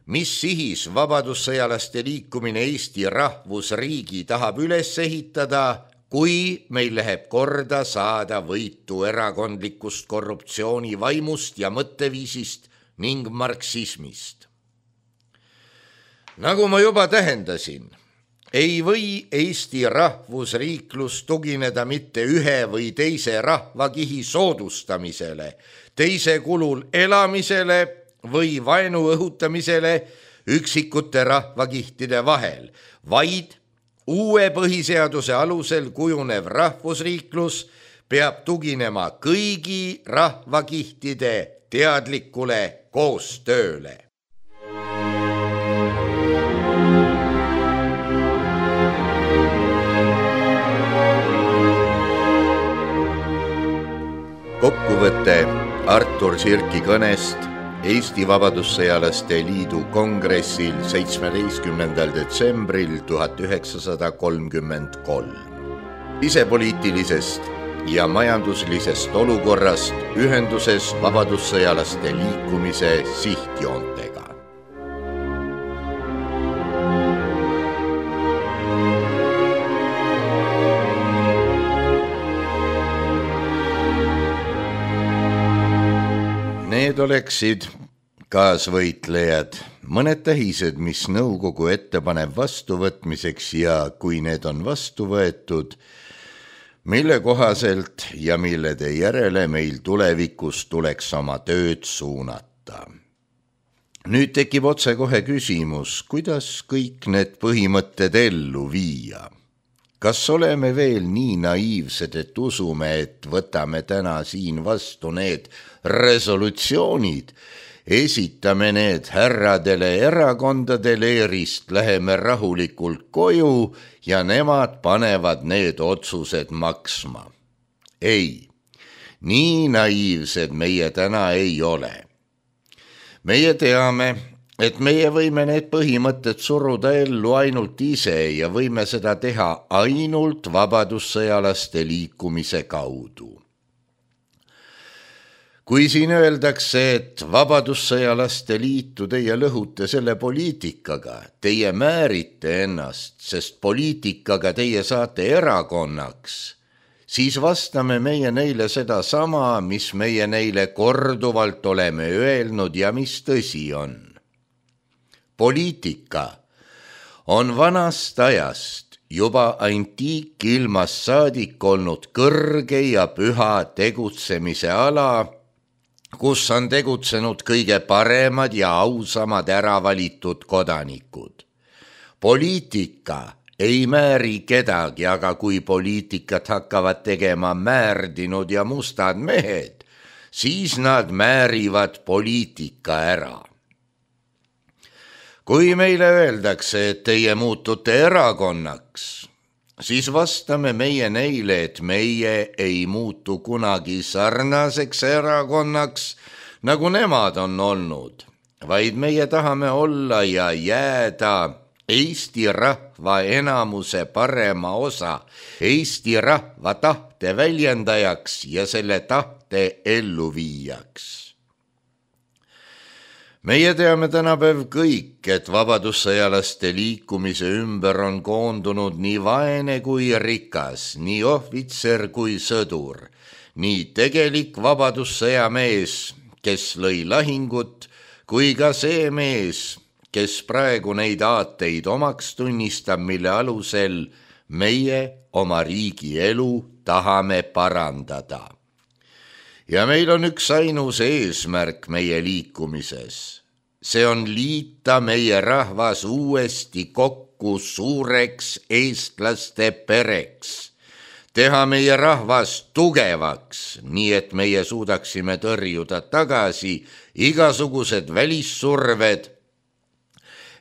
mis sihis vabadussõjalaste liikumine Eesti rahvusriigi tahab üles ehitada, kui meil läheb korda saada võitu erakondlikust korruptsiooni vaimust ja mõtteviisist ning marksismist. Nagu ma juba tähendasin, ei või Eesti rahvusriiklus tugineda mitte ühe või teise rahvakihi soodustamisele, teise kulul elamisele või vaenu õhutamisele üksikute rahvakihtide vahel, vaid uue põhiseaduse alusel kujunev rahvusriiklus peab tuginema kõigi rahvakihtide teadlikule koostööle. Kokkuvõte Artur Sirki kõnest Eesti Vabadussõjalaste Liidu kongressil 17. detsembril 1933. Sisepoliitilisest ja majanduslisest olukorrast ühenduses vabadussõjalaste liikumise sihtjoontega. Need oleksid kaasvõitlejad, mõned tähised, mis nõukogu ette paneb vastuvõtmiseks ja kui need on vastu võetud, mille kohaselt ja millede järele meil tulevikus tuleks oma tööd suunata. Nüüd tekib otsekohe küsimus, kuidas kõik need põhimõtted ellu viia. Kas oleme veel nii naiivsed, et usume, et võtame täna siin vastu need resolutsioonid, esitame need härradele erakondade leerist, läheme rahulikult koju ja nemad panevad need otsused maksma? Ei, nii naiivsed meie täna ei ole. Meie teame, et meie võime need põhimõtted suruda ellu ainult ise ja võime seda teha ainult vabadussõjalaste liikumise kaudu. Kui siin öeldakse, et vabadussõjalaste liitu teie lõhute selle poliitikaga, teie määrite ennast, sest poliitikaga teie saate erakonnaks, siis vastame meie neile seda sama, mis meie neile korduvalt oleme öelnud ja mis tõsi on. Poliitika on vanast ajast juba antiikilmast saadik olnud kõrge ja püha tegutsemise ala, kus on tegutsenud kõige paremad ja ausamad äravalitud kodanikud. Poliitika ei määri kedagi, aga kui poliitikat hakkavad tegema määrdinud ja mustad mehed, siis nad määrivad poliitika ära. Kui meile öeldakse, et teie muutute erakonnaks, siis vastame meie neile, et meie ei muutu kunagi sarnaseks erakonnaks, nagu nemad on olnud, vaid meie tahame olla ja jääda Eesti rahva enamuse parema osa, Eesti rahva tahte väljendajaks ja selle tahte elluviijaks. Meie teame tänapäev kõik, et vabadussõjalaste liikumise ümber on koondunud nii vaene kui rikas, nii ohvitser kui sõdur, nii tegelik vabadussõjamees, kes lõi lahingut, kui ka see mees, kes praegu neid aateid omaks tunnistab, mille alusel meie oma riigi elu tahame parandada. Ja meil on üks ainus eesmärk meie liikumises. See on liita meie rahvas uuesti kokku suureks eestlaste pereks. Teha meie rahvas tugevaks, nii et meie suudaksime tõrjuda tagasi igasugused välissurved,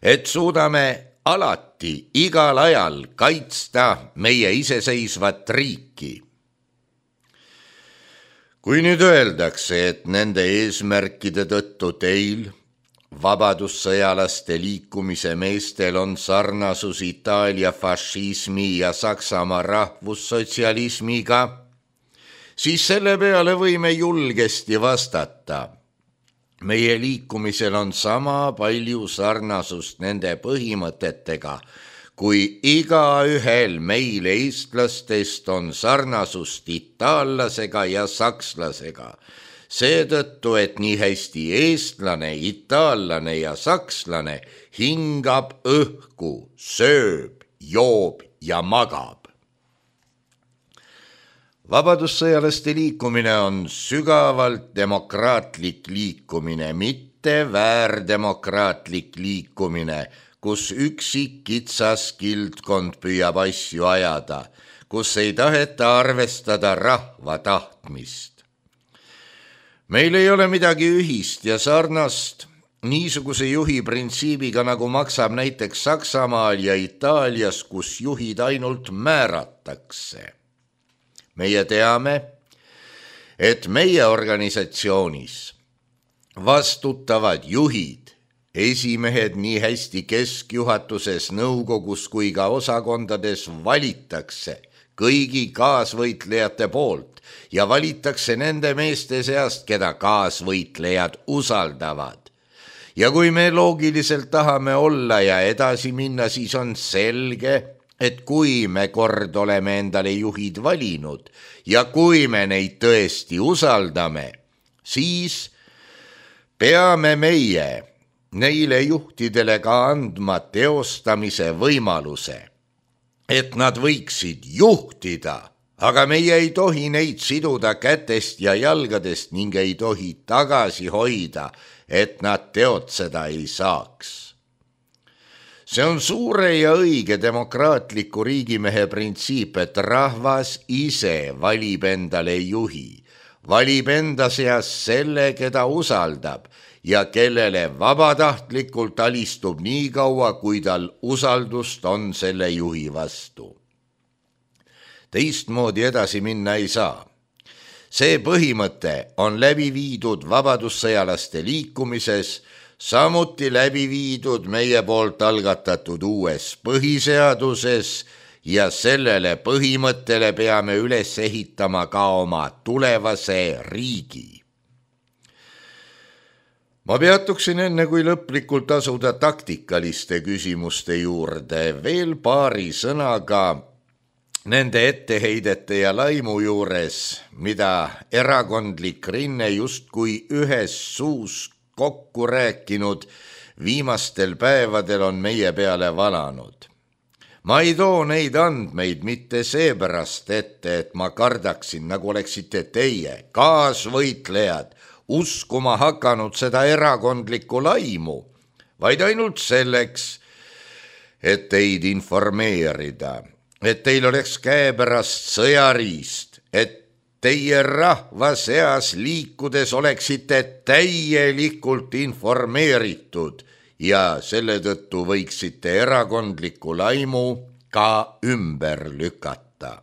et suudame alati, igal ajal kaitsta meie iseseisvat riiki. Kui nüüd öeldakse, et nende eesmärkide tõttu teil, vabadussõjalaste liikumise meestel on sarnasus Itaalia fašismi ja Saksamaa rahvussotsialismiga, siis selle peale võime julgesti vastata. Meie liikumisel on sama palju sarnasust nende põhimõtetega, kui igaühel meil eestlastest on sarnasust itaallasega ja sakslasega. Seetõttu, et nii hästi eestlane, itaallane ja sakslane hingab õhku, sööb, joob ja magab. Vabadussõjalaste liikumine on sügavalt demokraatlik liikumine, mitte väärdemokraatlik liikumine, kus üksik kitsas kildkond püüab asju ajada, kus ei taheta arvestada rahva tahtmist. Meil ei ole midagi ühist ja sarnast niisuguse juhi printsiibiga, nagu maksab näiteks Saksamaal ja Itaalias, kus juhid ainult määratakse. Meie teame, et meie organisatsioonis vastutavad juhid, esimehed nii hästi keskjuhatuses, nõukogus kui ka osakondades valitakse kõigi kaasvõitlejate poolt ja valitakse nende meeste seast, keda kaasvõitlejad usaldavad. Ja kui me loogiliselt tahame olla ja edasi minna, siis on selge, et kui me kord oleme endale juhid valinud ja kui me neid tõesti usaldame, siis peame meie neile juhtidele ka andma teostamise võimaluse, et nad võiksid juhtida, aga meie ei tohi neid siduda kätest ja jalgadest ning ei tohi tagasi hoida, et nad teotseda ei saaks. See on suure ja õige demokraatliku riigimehe printsiip, et rahvas ise valib endale juhi, valib enda seas selle, keda usaldab ja kellele vabatahtlikult alistub nii kaua, kui tal usaldust on selle juhi vastu. Teistmoodi edasi minna ei saa. See põhimõte on läbi viidud vabadussõjalaste liikumises, samuti läbi viidud meie poolt algatatud uues põhiseaduses ja sellele põhimõttele peame üles ehitama ka oma tulevase riigi. Ma peatuksin enne, kui lõplikult asuda taktikaliste küsimuste juurde, veel paari sõnaga nende etteheidete ja laimu juures, mida erakondlik rinne justkui ühes suus kokku rääkinud viimastel päevadel on meie peale valanud. Ma ei too neid andmeid mitte seepärast ette, et ma kardaksin, nagu oleksite teie, kaasvõitlejad, uskuma hakanud seda erakondlikku laimu, vaid ainult selleks, et teid informeerida, et teil oleks käepärast sõjariist, et teie rahva seas liikudes oleksite täielikult informeeritud ja selle tõttu võiksite erakondliku laimu ka ümber lükata.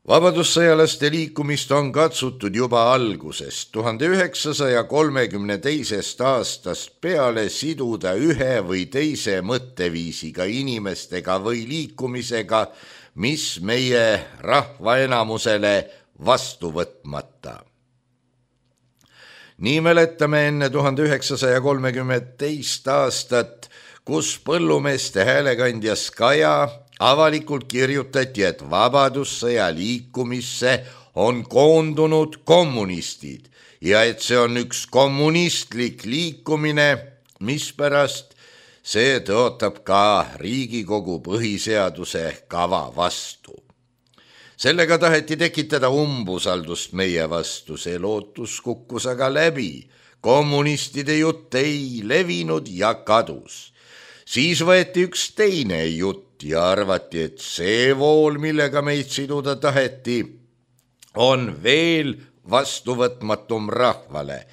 Vabadussõjalaste liikumist on katsutud juba algusest 1932. aastast peale siduda ühe või teise mõtteviisiga inimestega või liikumisega, mis meie rahva enamusele vastu võtmata. Nii mäletame enne 1932. aastat, kus põllumeeste häälekandjas Kaja avalikult kirjutati, et vabadussõja liikumisse on koondunud kommunistid ja et see on üks kommunistlik liikumine, mispärast see tõotab ka Riigikogu põhiseaduse kava vastu. Sellega taheti tekitada umbusaldust meie vastu, see lootus kukkus aga läbi. Kommunistide jutt ei levinud ja kadus. Siis võeti üks teine jutt ja arvati, et see vool, millega meid siduda taheti, on veel vastuvõtmatum rahvale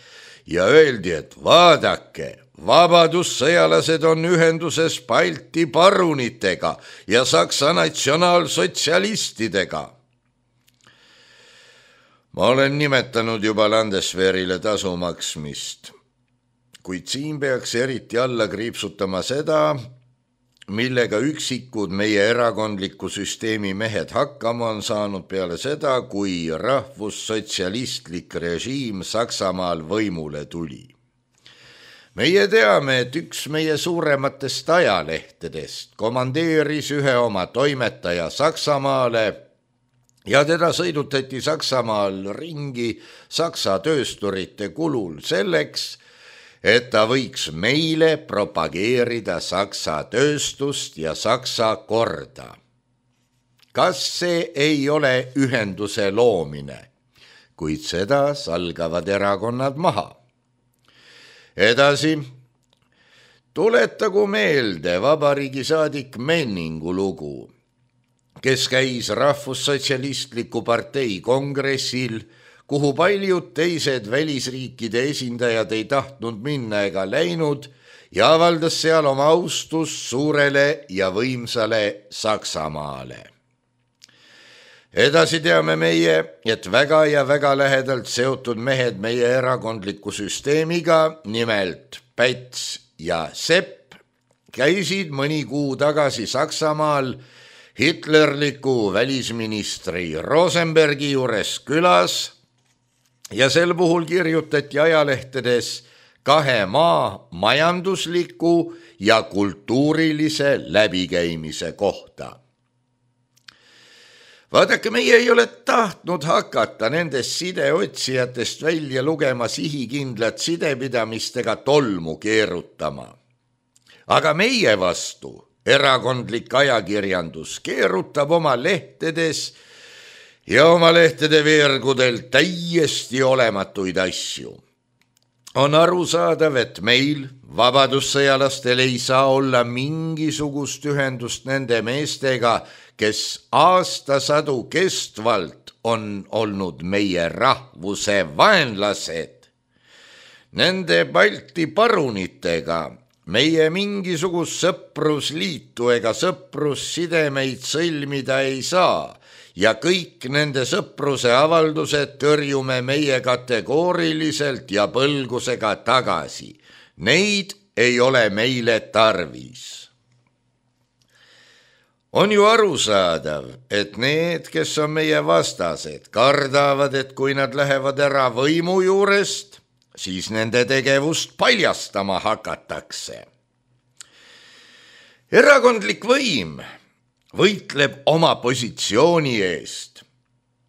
ja öeldi, et vaadake, vabadussõjalased on ühenduses Balti parunitega ja Saksa natsionaalsotsialistidega. Ma olen nimetanud juba Landesverile tasu maksmist, kuid siin peaks eriti alla kriipsutama seda, millega üksikud meie erakondliku süsteemi mehed hakkama on saanud peale seda, kui rahvussotsialistlik režiim Saksamaal võimule tuli. Meie teame, et üks meie suurematest ajalehtedest komandeeris ühe oma toimetaja Saksamaale ja teda sõidutati Saksamaal ringi Saksa töösturite kulul selleks, et ta võiks meile propageerida Saksa tööstust ja Saksa korda. Kas see ei ole ühenduse loomine, kuid seda salgavad erakonnad maha? Edasi, tuletagu meelde vabariigi saadik Menningu lugu, kes käis rahvussotsialistliku partei kongressil, kuhu paljud teised välisriikide esindajad ei tahtnud minna ega läinud ja avaldas seal oma austust suurele ja võimsale Saksamaale. Edasi teame meie, et väga ja väga lähedalt seotud mehed meie erakondliku süsteemiga, nimelt Päts ja Sepp, käisid mõni kuu tagasi Saksamaal hitlerliku välisministri Rosenbergi juures külas ja sel puhul kirjutati ajalehtedes 2 maa majandusliku ja kultuurilise läbikäimise kohta. Vaadake, meie ei ole tahtnud hakata nendest sideotsijatest välja lugema sihikindlat sidepidamistega tolmu keerutama. Aga meie vastu erakondlik ajakirjandus keerutab oma lehtedes ja oma lehtede veergudel täiesti olematuid asju. On arusaadav, et meil, vabadussõjalastel, ei saa olla mingisugust ühendust nende meestega, kes aastasadu kestvalt on olnud meie rahvuse vaenlased. Nende Balti parunitega meie mingisugust sõprusliitu ega sõprussidemeid sõlmida ei saa ja kõik nende sõpruse avaldused tõrjume meie kategooriliselt ja põlgusega tagasi. Neid ei ole meile tarvis. On ju arusaadav, et need, kes on meie vastased, kardavad, et kui nad lähevad ära võimu juurest, siis nende tegevust paljastama hakatakse. Erakondlik võim võitleb oma positsiooni eest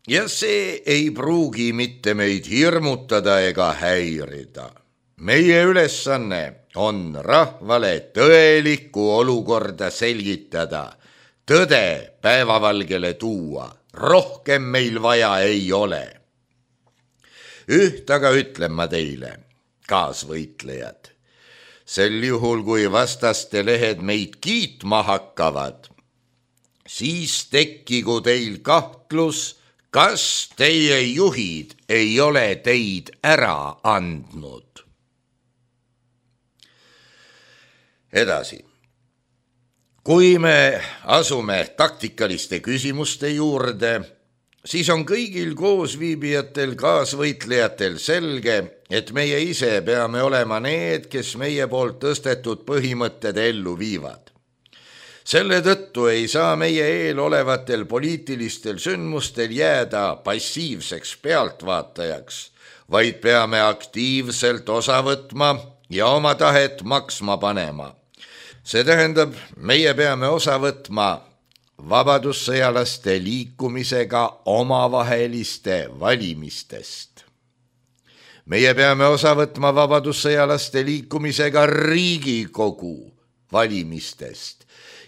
ja see ei pruugi mitte meid hirmutada ega häirida. Meie ülesanne on rahvale tõelikku olukorda selgitada, tõde päevavalgele tuua, rohkem meil vaja ei ole. Üht aga ütlen ma teile, kaasvõitlejad, sel juhul, kui vastaste lehed meid kiitma hakkavad, siis tekkigu teil kahtlus, kas teie juhid ei ole teid ära andnud. Edasi. Kui me asume taktikaliste küsimuste juurde, siis on kõigil koosviibijatel, kaasvõitlejatel selge, et meie ise peame olema need, kes meie poolt tõstetud põhimõtted ellu viivad. Selle tõttu ei saa meie eel olevatel poliitilistel sündmustel jääda passiivseks pealtvaatajaks, vaid peame aktiivselt osa võtma ja oma tahet maksma panema. See tähendab, meie peame osa võtma vabadussõjalaste liikumisega omavaheliste valimistest. Meie peame osa võtma vabadussõjalaste liikumisega Riigikogu valimistest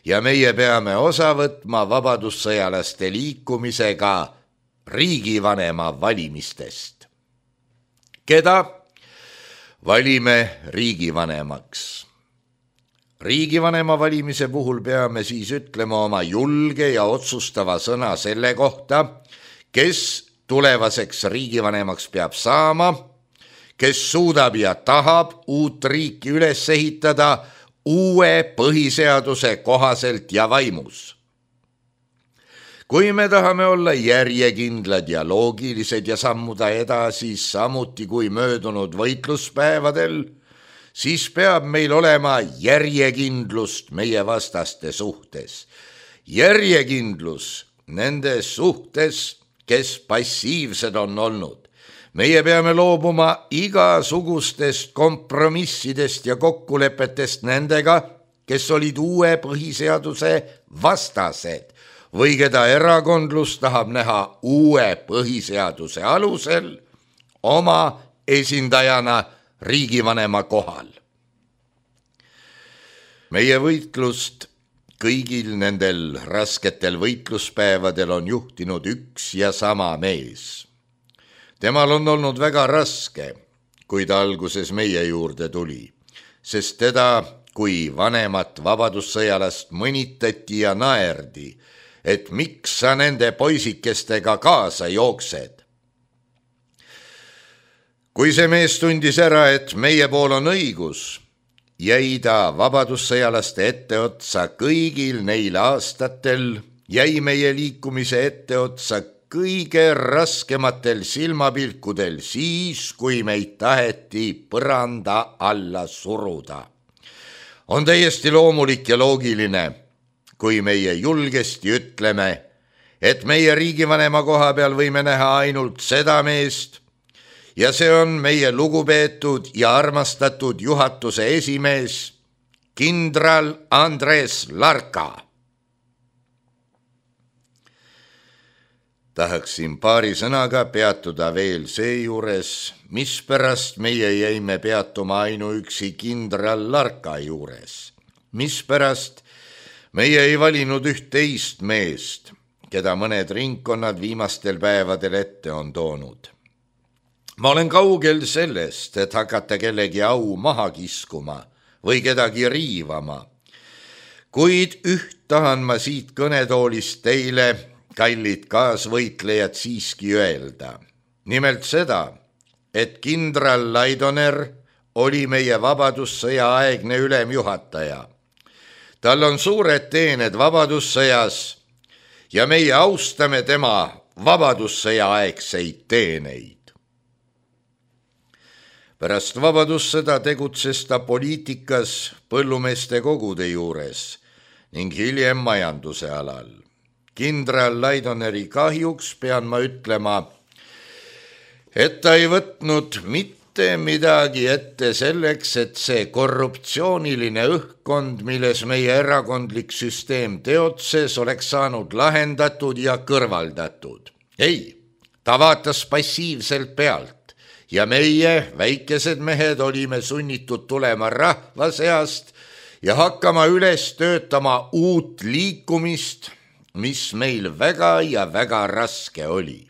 ja meie peame osa võtma vabadussõjalaste liikumisega riigivanema valimistest. Keda valime riigivanemaks? Riigivanema valimise puhul peame siis ütlema oma julge ja otsustava sõna selle kohta, kes tulevaseks riigivanemaks peab saama, kes suudab ja tahab uut riiki üles ehitada uue põhiseaduse kohaselt ja vaimus. Kui me tahame olla järjekindlad ja loogilised ja sammuda edasi samuti kui möödunud võitluspäevadel, siis peab meil olema järjekindlust meie vastaste suhtes. Järjekindlus nende suhtes, kes passiivsed on olnud. Meie peame loobuma igasugustest kompromissidest ja kokkulepetest nendega, kes olid uue põhiseaduse vastased või keda erakondlus tahab näha uue põhiseaduse alusel oma esindajana riigivanema kohal. Meie võitlust kõigil nendel rasketel võitluspäevadel on juhtinud üks ja sama mees. Temal on olnud väga raske, kui ta alguses meie juurde tuli, sest teda kui vanemat vabadussõjalast mõnitati ja naerdi, et miks sa nende poisikestega kaasa jooksed. Kui see mees tundis ära, et meie pool on õigus, jäi ta vabadussõjalaste etteotsa kõigil neil aastatel, jäi meie liikumise etteotsa kõige raskematel silmapilkudel siis, kui meid taheti põranda alla suruda. On täiesti loomulik ja loogiline, kui meie julgesti ütleme, et meie riigivanema koha peal võime näha ainult seda meest ja see on meie lugupeetud ja armastatud juhatuse esimees, kindral Andres Larka. Tahaksin paari sõnaga peatuda veel seejuures, mispärast meie jäime peatuma ainuüksi kindral Larka juures. Mispärast meie ei valinud üht teist meest, keda mõned ringkonnad viimastel päevadel ette on toonud. Ma olen kaugel sellest, et hakata kellegi au maha kiskuma või kedagi riivama, kuid üht tahan ma siit kõnetoolist teile, kallid kaasvõitlejad, siiski öelda. Nimelt seda, et kindral Laidoner oli meie vabadussõja aegne ülemjuhataja. Tal on suured teened vabadussõjas ja meie austame tema vabadussõja aegseid teeneid. Pärast vabadussõda tegutses ta poliitikas põllumeeste kogude juures ning hiljem majanduse alal. Kindral Laidoneri kahjuks pean ma ütlema, et ta ei võtnud mitte midagi ette selleks, et see korruptsiooniline õhkkond, milles meie erakondlik süsteem teotses, oleks saanud lahendatud ja kõrvaldatud. Ei, ta vaatas passiivselt pealt ja meie, väikesed mehed, olime sunnitud tulema rahva seast ja hakkama üles töötama uut liikumist, mis meil väga ja väga raske oli.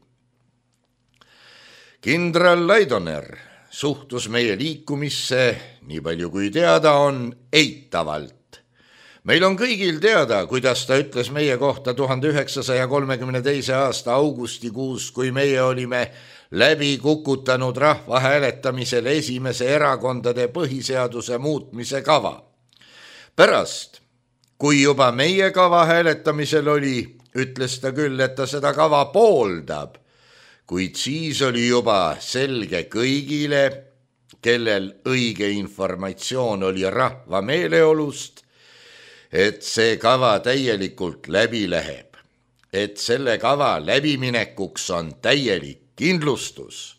Kindral Laidoner suhtus meie liikumisse, nii palju kui teada on, eitavalt. Meil on kõigil teada, kuidas ta ütles meie kohta 1932. aasta augustikuus, kui meie olime läbi kukutanud rahvahääletamisel esimese erakondade põhiseaduse muutmise kava. Pärast, kui juba meie kava hääletamisel oli, ütles ta küll, et ta seda kava pooldab, kuid siis oli juba selge kõigile, kellel õige informatsioon oli rahva meeleolust, et see kava täielikult läbi läheb, et selle kava läbiminekuks on täielik kindlustus.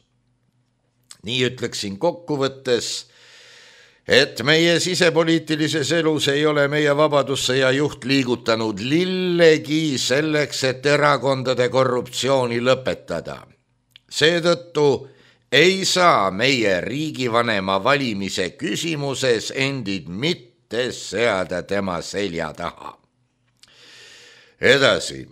Nii ütleksin kokkuvõttes, et meie sisepoliitilises elus ei ole meie vabadussõja juht liigutanud lillegi selleks, et erakondade korruptsiooni lõpetada. Seetõttu ei saa meie riigivanema valimise küsimuses endid mitte seada tema selja taha. Edasi,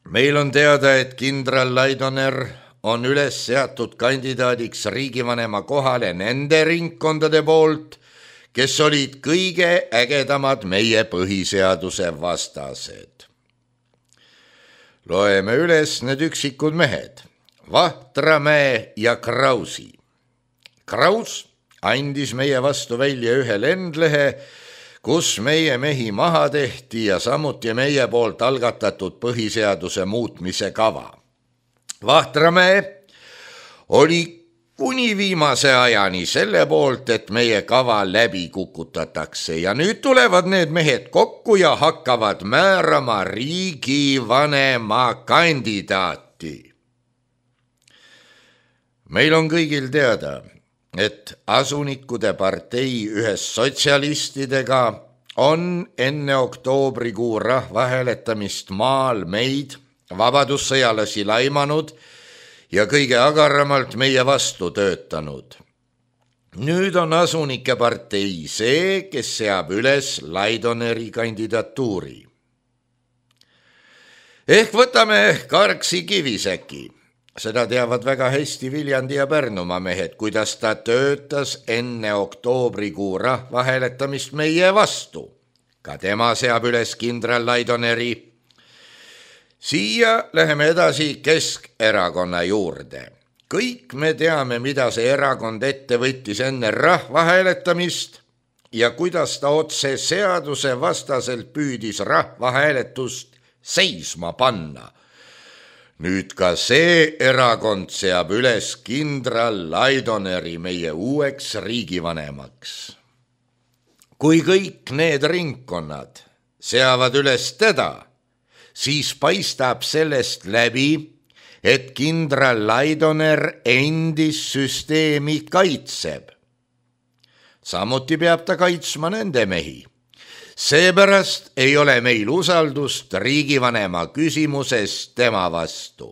meil on teada, et kindral Laidoner on üles seatud kandidaadiks riigivanema kohale nende ringkondade poolt, kes olid kõige ägedamad meie põhiseaduse vastased. Loeme üles need üksikud mehed, Vahtramäe ja Krausi. Kraus andis meie vastu välja ühe lendlehe, kus meie mehi maha tehti ja samuti meie poolt algatatud põhiseaduse muutmise kava. Vahtramäe oli kuni viimase ajani selle poolt, et meie kava läbi kukutatakse ja nüüd tulevad need mehed kokku ja hakkavad määrama riigivanema kandidaati. Meil on kõigil teada, et asunikude partei ühes sotsialistidega on enne oktoobrikuu rahvahääletamist maal meid, vabadussõjalasi laimanud ja kõige agaramalt meie vastu töötanud. Nüüd on asunike partei see, kes seab üles Laidoneri kandidatuuri. Ehk võtame Karksi Kivisäki. Seda teavad väga hästi Viljandi ja Pärnumaa mehed, kuidas ta töötas enne oktoobrikuu rahvahääletamist meie vastu. Ka tema seab üles kindral Laidoneri. Siia läheme edasi Keskerakonna juurde. Kõik me teame, mida see erakond ette võttis enne rahvahääletamist ja kuidas ta otse seaduse vastaselt püüdis rahvahääletust seisma panna. Nüüd ka see erakond seab üles kindral Laidoneri meie uueks riigivanemaks. Kui kõik need ringkonnad seavad üles teda, siis paistab sellest läbi, et kindral Laidoner endist süsteemi kaitseb. Samuti peab ta kaitsma nende mehi. Seepärast ei ole meil usaldust riigivanema küsimuses tema vastu.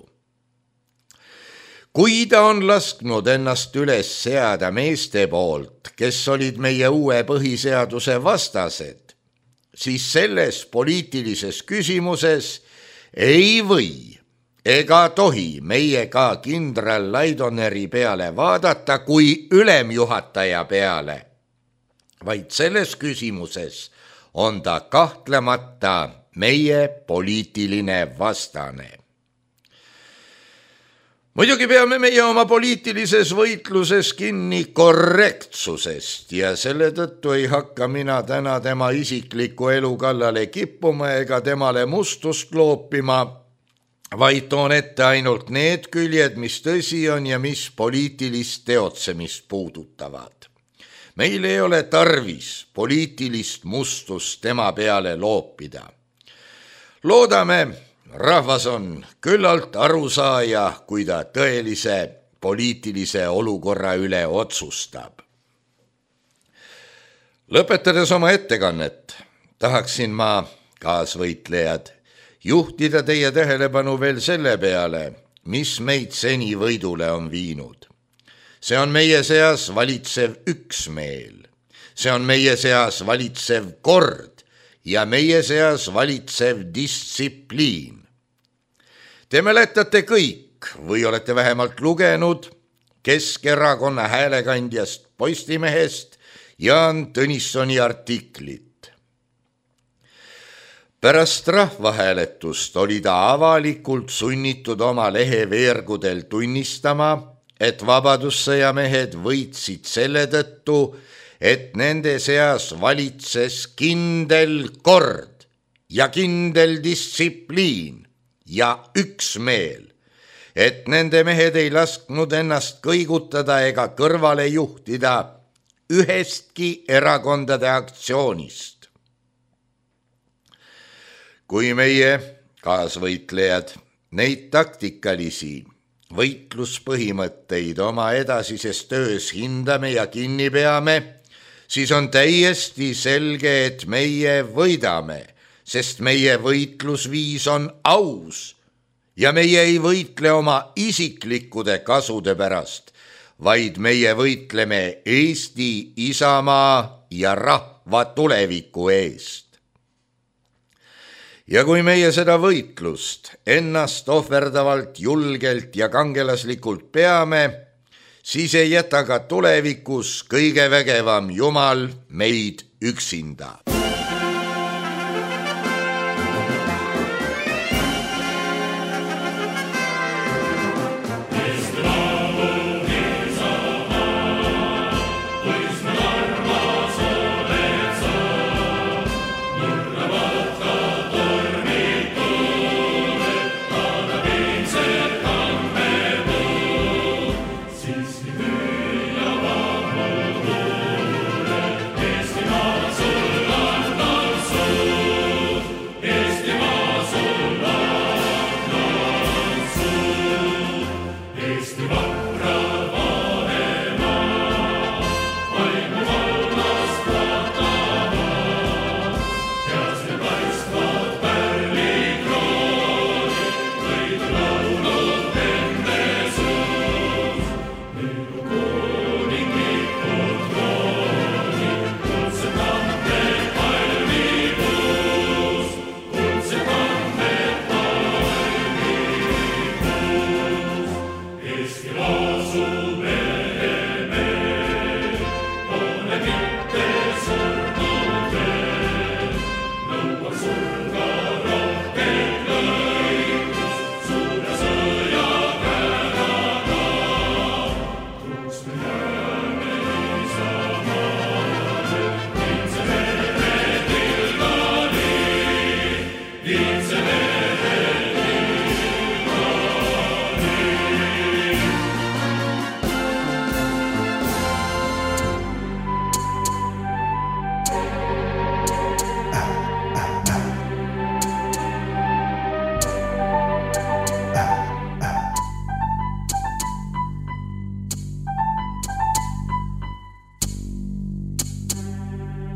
Kui ta on lasknud ennast üles seada meeste poolt, kes olid meie uue põhiseaduse vastased, siis selles poliitilises küsimuses ei või ega tohi meie ka kindral Laidoneri peale vaadata kui ülemjuhataja peale, vaid selles küsimuses on ta kahtlemata meie poliitiline vastane. Muidugi peame meie oma poliitilises võitluses kinni korrektsusest ja selle tõttu ei hakka mina täna tema isikliku elu kallale kippuma ega temale mustust loopima, vaid toon ette ainult need küljed, mis tõsi on ja mis poliitilist teotsemist puudutavad. Meil ei ole tarvis poliitilist mustust tema peale loopida. Loodame, rahvas on küllalt arusaaja, kui ta tõelise poliitilise olukorra üle otsustab. Lõpetades oma ettekannet, tahaksin ma, kaasvõitlejad, juhtida teie tähelepanu veel selle peale, mis meid seni võidule on viinud. See on meie seas valitsev üksmeel, see on meie seas valitsev kord ja meie seas valitsev distsipliin. Te mäletate kõik või olete vähemalt lugenud Keskerakonna häälekandjast Postimehest Jaan Tõnissoni artiklit. Pärast rahvahääletust oli ta avalikult sunnitud oma leheveergudel tunnistama, et vabadussõjamehed võitsid selle tõttu, et nende seas valitses kindel kord ja kindel distsipliin ja üksmeel, et nende mehed ei lasknud ennast kõigutada ega kõrvale juhtida ühestki erakondade aktsioonist. Kui meie, kaasvõitlejad, neid taktikalisi võitluspõhimõtteid oma edasises töös hindame ja kinni peame, siis on täiesti selge, et meie võidame, sest meie võitlusviis on aus ja meie ei võitle oma isiklikude kasude pärast, vaid meie võitleme Eesti isamaa ja rahva tuleviku eest. Ja kui meie seda võitlust ennast ohverdavalt, julgelt ja kangelaslikult peame, siis ei jäta ka tulevikus kõige vägevam Jumal meid üksinda.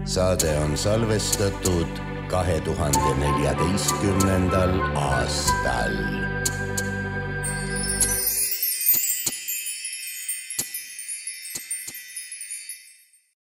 saade on salvestatud 2014. aastal.